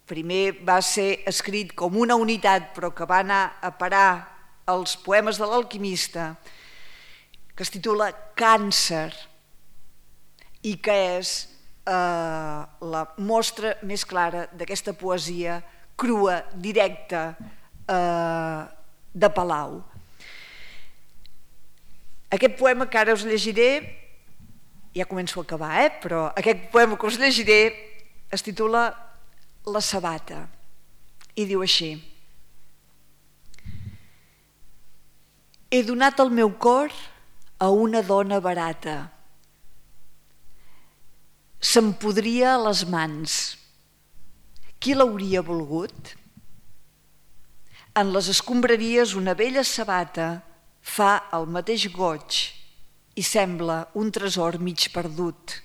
primer va ser escrit com una unitat però que va anar a parar als poemes de l'Alquimista, que es titula Càncer, i que és la mostra més clara d'aquesta poesia crua, directa, de Palau. Aquest poema que ara us llegiré, ja començo a acabar, però aquest poema que us llegiré es titula La sabata i diu així: he donat el meu cor a una dona barata, se'm podria a les mans, qui l'hauria volgut? En les escombraries una vella sabata fa el mateix goig i sembla un tresor mig perdut.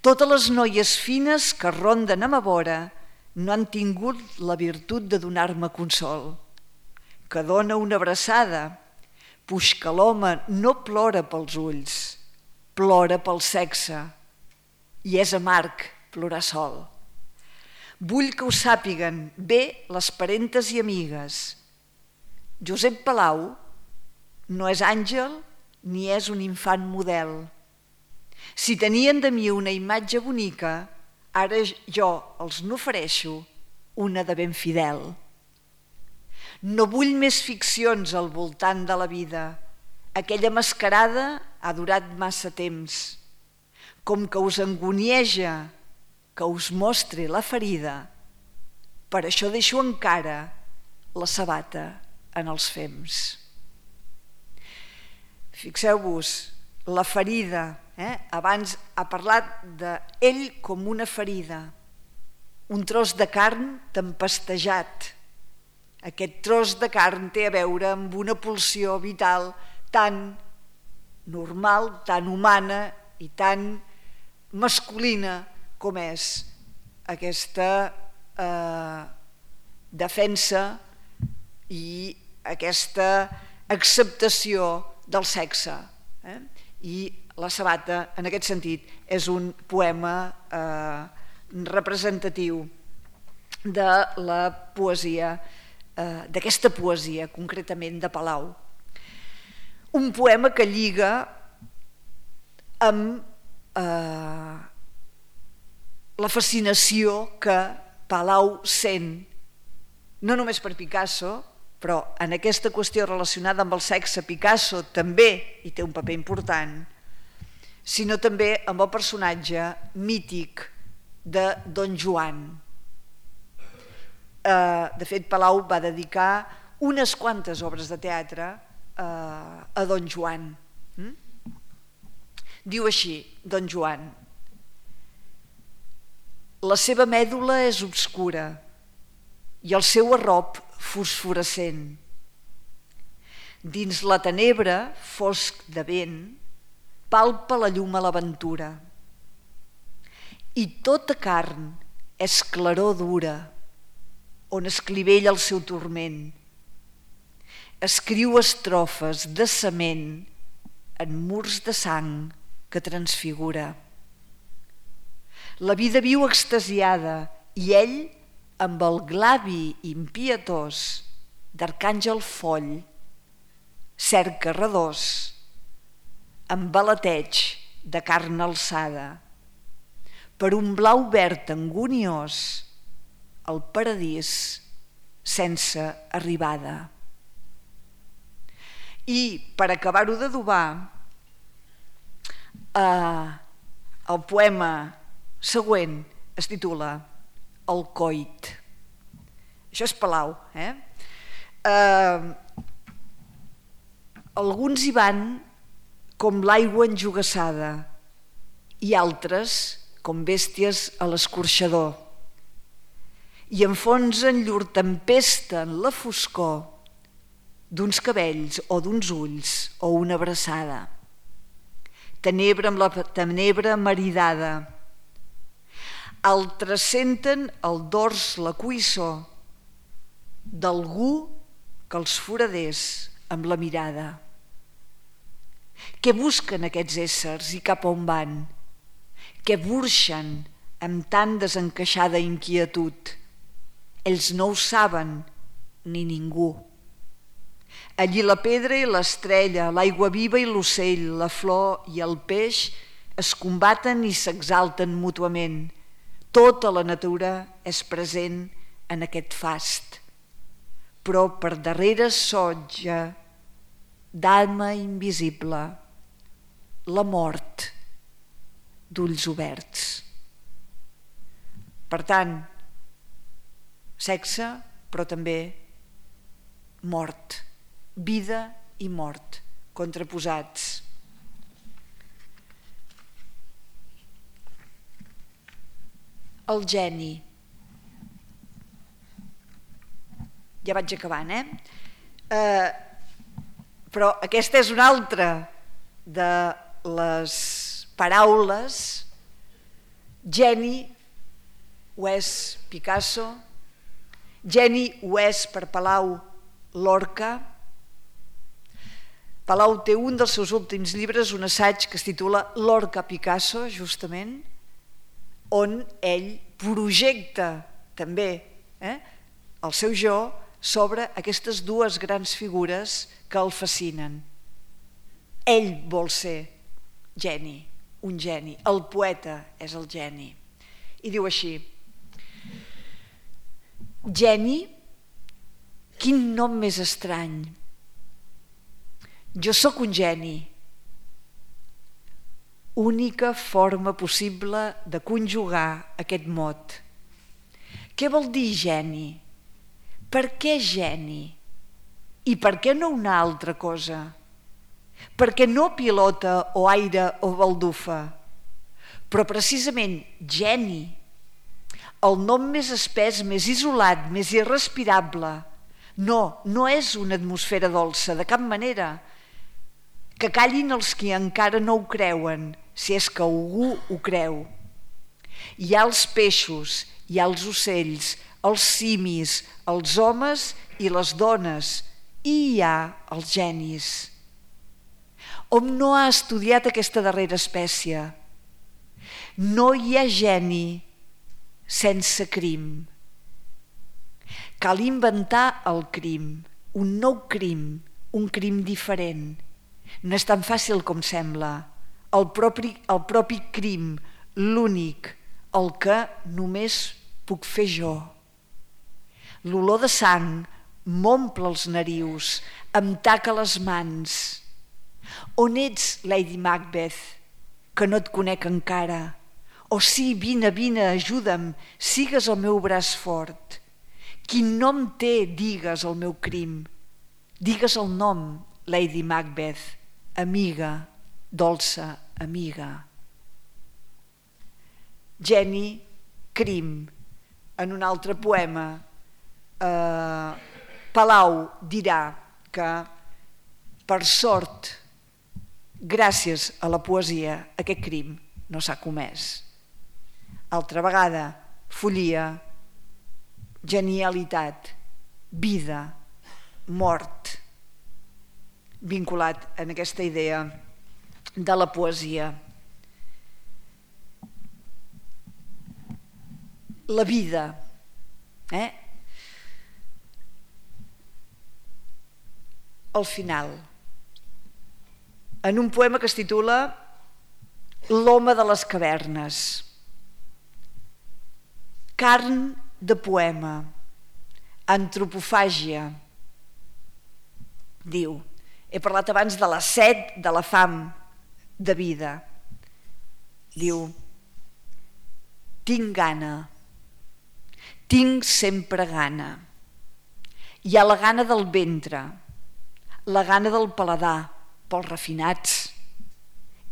Totes les noies fines que ronden a ma vora no han tingut la virtut de donar-me consol, que dona una abraçada, puix que l'home no plora pels ulls, plora pel sexe, i és amarg plorar sol. Vull que ho sàpiguen bé les parentes i amigues. Josep Palau no és àngel ni és un infant model. Si tenien de mi una imatge bonica, ara jo els n'ofereixo una de ben fidel. No vull més ficcions al voltant de la vida. Aquella mascarada ha durat massa temps. Com que us angunieja que us mostri la ferida, per això deixo encara la sabata en els fems. Fixeu-vos, la ferida, abans ha parlat d'ell com una ferida, un tros de carn tempestejat. Aquest tros de carn té a veure amb una pulsió vital tan normal, tan humana i tan masculina com és aquesta defensa i aquesta acceptació del sexe. I La sabata, en aquest sentit, és un poema representatiu de la poesia, d'aquesta poesia, concretament de Palau. Un poema que lliga amb la fascinació que Palau sent, no només per Picasso, però en aquesta qüestió relacionada amb el sexe Picasso també hi té un paper important, sinó també amb el personatge mític de Don Joan. De fet, Palau va dedicar unes quantes obres de teatre a Don Joan. Diu així, Don Joan: la seva mèdula és obscura i el seu arrop fosforescent. Dins la tenebra, fosc de vent, palpa la llum a l'aventura. I tota carn és claror dura, on es clivella el seu turment. Escriu estrofes de cement en murs de sang que transfigura. La vida viu extasiada i ell, amb el glavi impietós d'arcàngel foll, cerca redós, amb balateig de carn alçada, per un blau verd anguniós, el paradís sense arribada. I per acabar-ho d'adobar, el poema següent es titula El coit. Això és Palau. Alguns hi van com l'aigua enjogassada i altres com bèsties a l'escorxador i enfonsen llur tempesta en la foscor d'uns cabells o d'uns ulls o una abraçada. Tenebra amb la tenebra maridada. Altres senten el dors la cuissor d'algú que els foradés amb la mirada. Què busquen aquests éssers i cap on van? Què burxen amb tan desencaixada inquietud? Ells no ho saben, ni ningú. Allí la pedra i l'estrella, l'aigua viva i l'ocell, la flor i el peix es combaten i s'exalten mútuament. Tota la natura és present en aquest fast, però per darrere sotja d'alma invisible, la mort d'ulls oberts. Per tant, sexe, però també mort, vida i mort, contraposats. El geni. Ja vaig acabant, però aquesta és una altra de les paraules. Geni ho és Picasso, geni ho és per Palau Lorca. Palau té un dels seus últims llibres, un assaig que es titula Lorca Picasso, justament, on ell projecta també el seu jo sobre aquestes dues grans figures que el fascinen. Ell vol ser geni, un geni. El poeta és el geni. I diu així: geni, quin nom més estrany. Jo sóc un geni. Única forma possible de conjugar aquest mot. Què vol dir geni? Per què geni? I per què no una altra cosa? Per què no pilota o aire o baldufa? Però precisament geni, el nom més espès, més isolat, més irrespirable. No és una atmosfera dolça, de cap manera. Que callin els qui encara no ho creuen, si és que algú ho creu. Hi ha els peixos, hi ha els ocells, els simis, els homes i les dones, i hi ha els genis. Hom no ha estudiat aquesta darrera espècie. No hi ha geni sense crim. Cal inventar el crim, un nou crim, un crim diferent. No és tan fàcil com sembla. El propi crim, l'únic, el que només puc fer jo. L'olor de sang m'omple els narius, em taca les mans. On ets, Lady Macbeth, que no et conec encara? Oh sí, vine, ajuda'm, sigues el meu braç fort. Quin nom té, digues, el meu crim? Digues el nom, Lady Macbeth, amiga, dolça amiga. Geni, crim. En un altre poema, Palau dirà que, per sort, gràcies a la poesia, aquest crim no s'ha comès. Altra vegada, follia, genialitat, vida, mort, vinculat en aquesta idea de la poesia. La vida, al final, en un poema que es titula L'home de les cavernes. Carn de poema, antropofàgia. Diu, he parlat abans de la set, de la fam, de vida. Diu, tinc gana, tinc sempre gana. Hi ha la gana del ventre, la gana del paladar, pels refinats,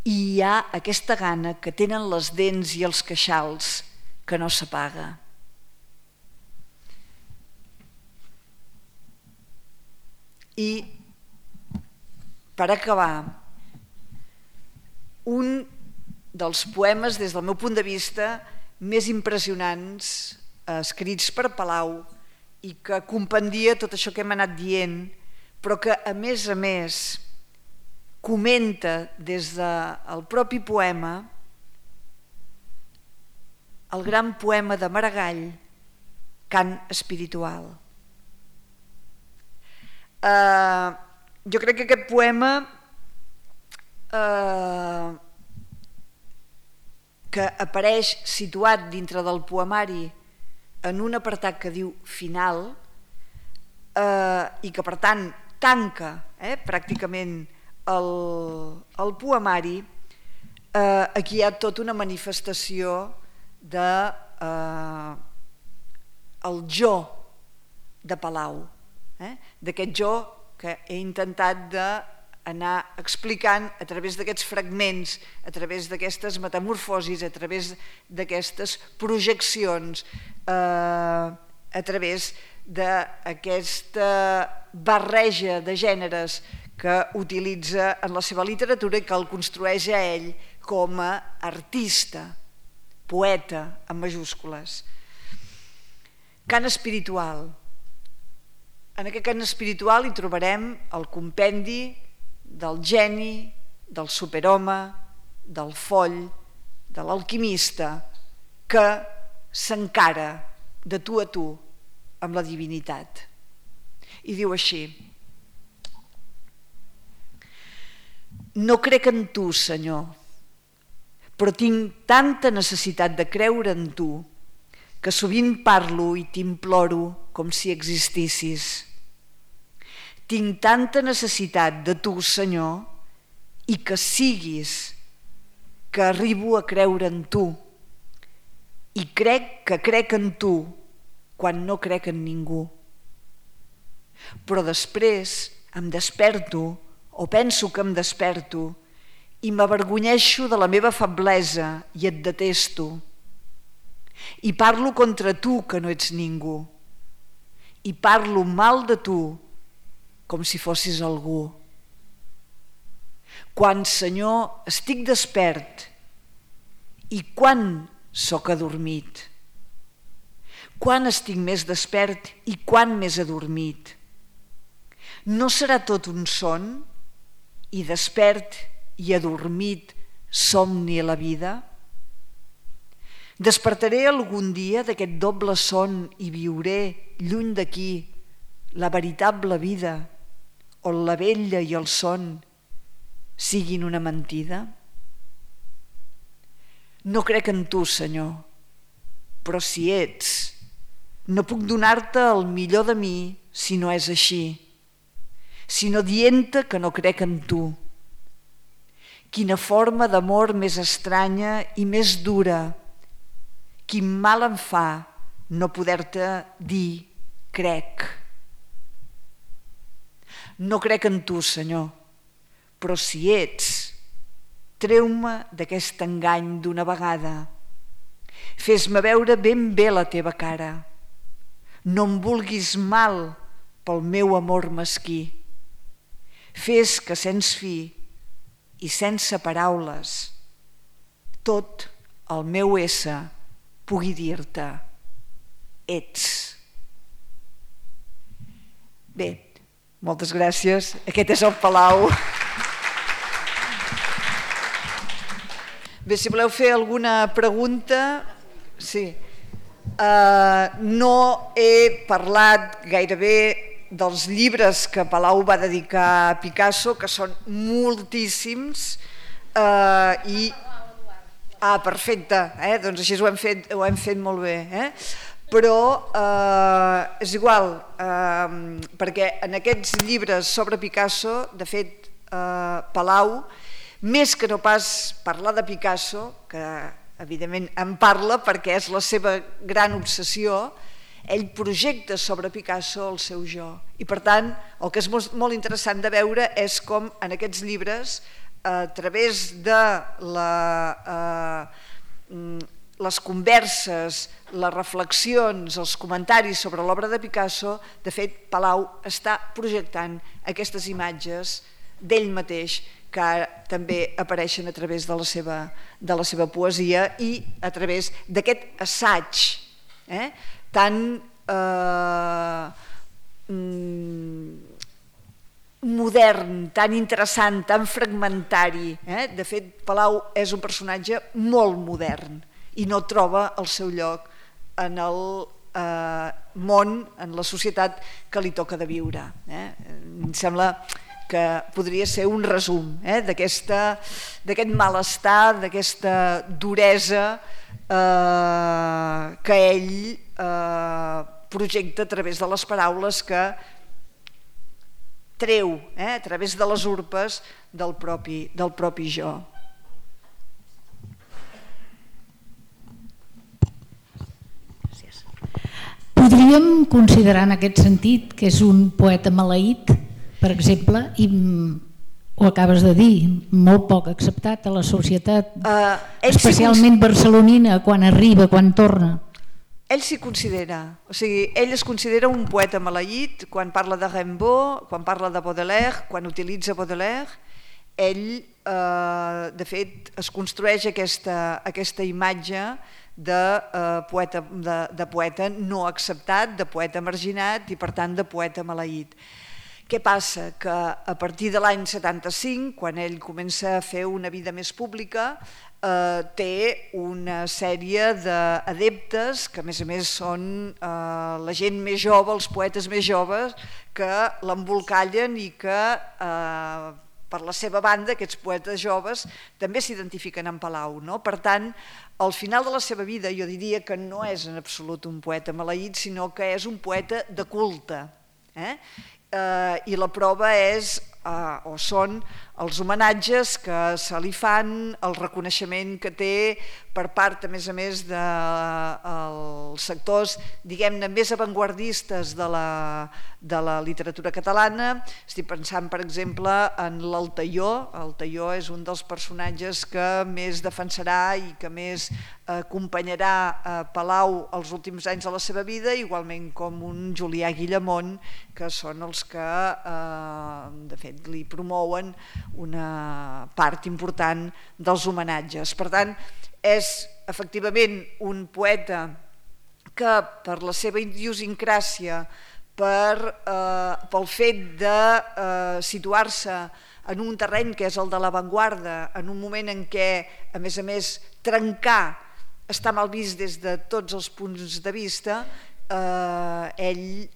i hi ha aquesta gana que tenen les dents i els queixals, que no s'apaga. I, per acabar, un dels poemes, des del meu punt de vista, més impressionants escrits per Palau i que compendia tot això que hem anat dient, però que, a més, comenta des del propi poema el gran poema de Maragall, Cant espiritual. Jo crec que aquest poema que apareix situat dintre del poemari en un apartat que diu final i que per tant tanca pràcticament el poemari, aquí hi ha tota una manifestació de el jo de Palau, d'aquest jo que he intentat d'anar explicant a través d'aquests fragments, a través d'aquestes metamorfosis, a través d'aquestes projeccions, a través d'aquesta barreja de gèneres que utilitza en la seva literatura i que el construeix a ell com a artista, poeta, en majúscules. Cant espiritual. En aquest cant espiritual hi trobarem el compendi del geni, del superhome, del foll, de l'alquimista, que s'encara de tu a tu amb la divinitat. I diu així: no crec en tu, Senyor, però tinc tanta necessitat de creure en tu que sovint parlo i t'imploro com si existissis. Tinc tanta necessitat de tu, Senyor, i que siguis, que arribo a creure en tu. I crec que crec en tu quan no crec en ningú. Però després em desperto, o penso que em desperto, i m'avergonyeixo de la meva feblesa i et detesto. I parlo contra tu que no ets ningú. I parlo mal de tu com si fossis algú. Quan, Senyor, estic despert i quan sóc adormit? Quan estic més despert i quan més adormit? No serà tot un son i despert i adormit somni a la vida? Despertaré algun dia d'aquest doble son i viuré lluny d'aquí la veritable vida on la vella i el son siguin una mentida? No crec en tu, Senyor, però si ets, no puc donar-te el millor de mi si no és així, sinó dient-te que no crec en tu. Quina forma d'amor més estranya i més dura, quin mal em fa no poder-te dir crec. No crec en tu, Senyor, però si ets, treu-me d'aquest engany d'una vegada. Fes-me veure ben bé la teva cara. No em vulguis mal pel meu amor mesquí. Fes que sens fi i sense paraules tot el meu ésser pugui dir-te ets. Bé, moltes gràcies. Aquest és el Palau. Bé, si voleu fer alguna pregunta... Sí. No he parlat gairebé dels llibres que Palau va dedicar a Picasso, que són moltíssims, i... Ah, perfecte, doncs així ho hem fet molt bé. Però és igual, perquè en aquests llibres sobre Picasso, de fet, Palau, més que no pas parlar de Picasso, que evidentment en parla perquè és la seva gran obsessió, ell projecta sobre Picasso el seu jo. I per tant, el que és molt interessant de veure és com en aquests llibres, a través de les converses, les reflexions, els comentaris sobre l'obra de Picasso, de fet, Palau està projectant aquestes imatges d'ell mateix que també apareixen a través de la seva poesia i a través d'aquest assaig tan modern, tan interessant, tan fragmentari. De fet, Palau és un personatge molt modern i no troba el seu lloc en el món, en la societat que li toca de viure. Em sembla que podria ser un resum d'aquest malestar, d'aquesta duresa que ell projecta a través de les paraules que treu a través de les urpes del propi jo. Podríem considerar en aquest sentit que és un poeta maleït, per exemple, i ho acabes de dir, molt poc acceptat a la societat, especialment barcelonina, quan arriba, quan torna. Ell s'hi considera, o sigui, ell es considera un poeta maleït quan parla de Rimbaud, quan parla de Baudelaire, quan utilitza Baudelaire. Ell, de fet, es construeix aquesta imatge de poeta no acceptat, de poeta marginat i, per tant, de poeta maleït. Què passa? Que a partir de l'any 75, quan ell comença a fer una vida més pública, té una sèrie d'adeptes que a més són la gent més jove, els poetes més joves, que l'embolcallen i que per la seva banda aquests poetes joves també s'identifiquen amb Palau. Per tant, al final de la seva vida jo diria que no és en absolut un poeta maleït, sinó que és un poeta de culte. I la prova és o són els homenatges que se li fan, el reconeixement que té per part, a més dels sectors, diguem-ne, més avantguardistes de la literatura catalana. Estic pensant, per exemple, en l'Altaió. L'Altaió és un dels personatges que més defensarà i que més acompanyarà Palau els últims anys de la seva vida, igualment com un Julià Guillamont, que són els que, de fet, li promouen una part important dels homenatges. Per tant, és efectivament un poeta que per la seva idiosincràsia, pel fet de situar-se en un terreny que és el de l'avantguarda, en un moment en què, a més, trencar està mal vist des de tots els punts de vista, ell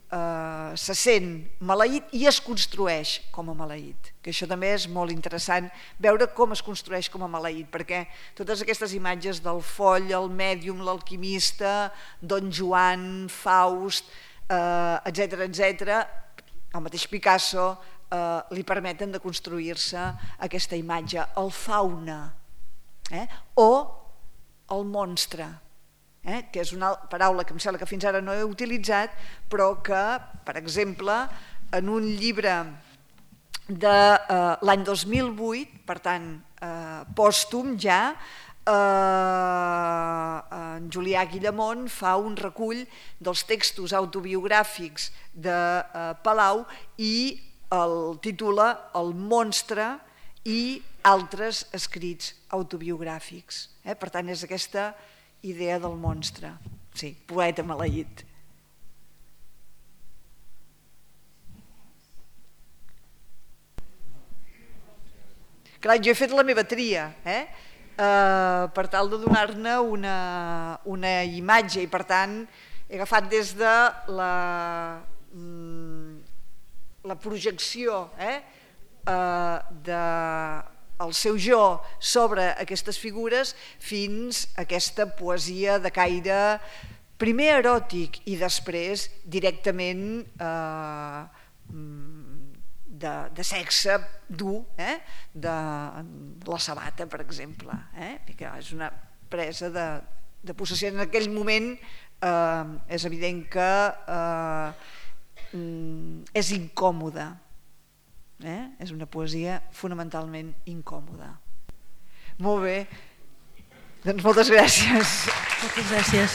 se sent maleït i es construeix com a maleït, que això també és molt interessant, veure com es construeix com a maleït, perquè totes aquestes imatges del foll, el mèdium, l'alquimista, Don Joan, Faust, etc., el mateix Picasso, li permeten de construir-se aquesta imatge, el fauna o el monstre, que és una paraula que em sembla que fins ara no he utilitzat, però que, per exemple, en un llibre de l'any 2008, per tant, pòstum ja, en Julià Guillamont fa un recull dels textos autobiogràfics de Palau i el titula El monstre i altres escrits autobiogràfics. Per tant, és aquesta idea del monstre. Sí, poeta maleït. Clar, jo he fet la meva tria, per tal de donar-ne una imatge i, per tant, he agafat des de la projecció del seu jo sobre aquestes figures fins a aquesta poesia de caire primer eròtic i després directament de sexe dur, de la sabata, per exemple, que és una presa de possessió. En aquell moment és evident que és incòmoda, és una poesia fonamentalment incòmoda. Molt bé, doncs moltes gràcies. Moltes gràcies.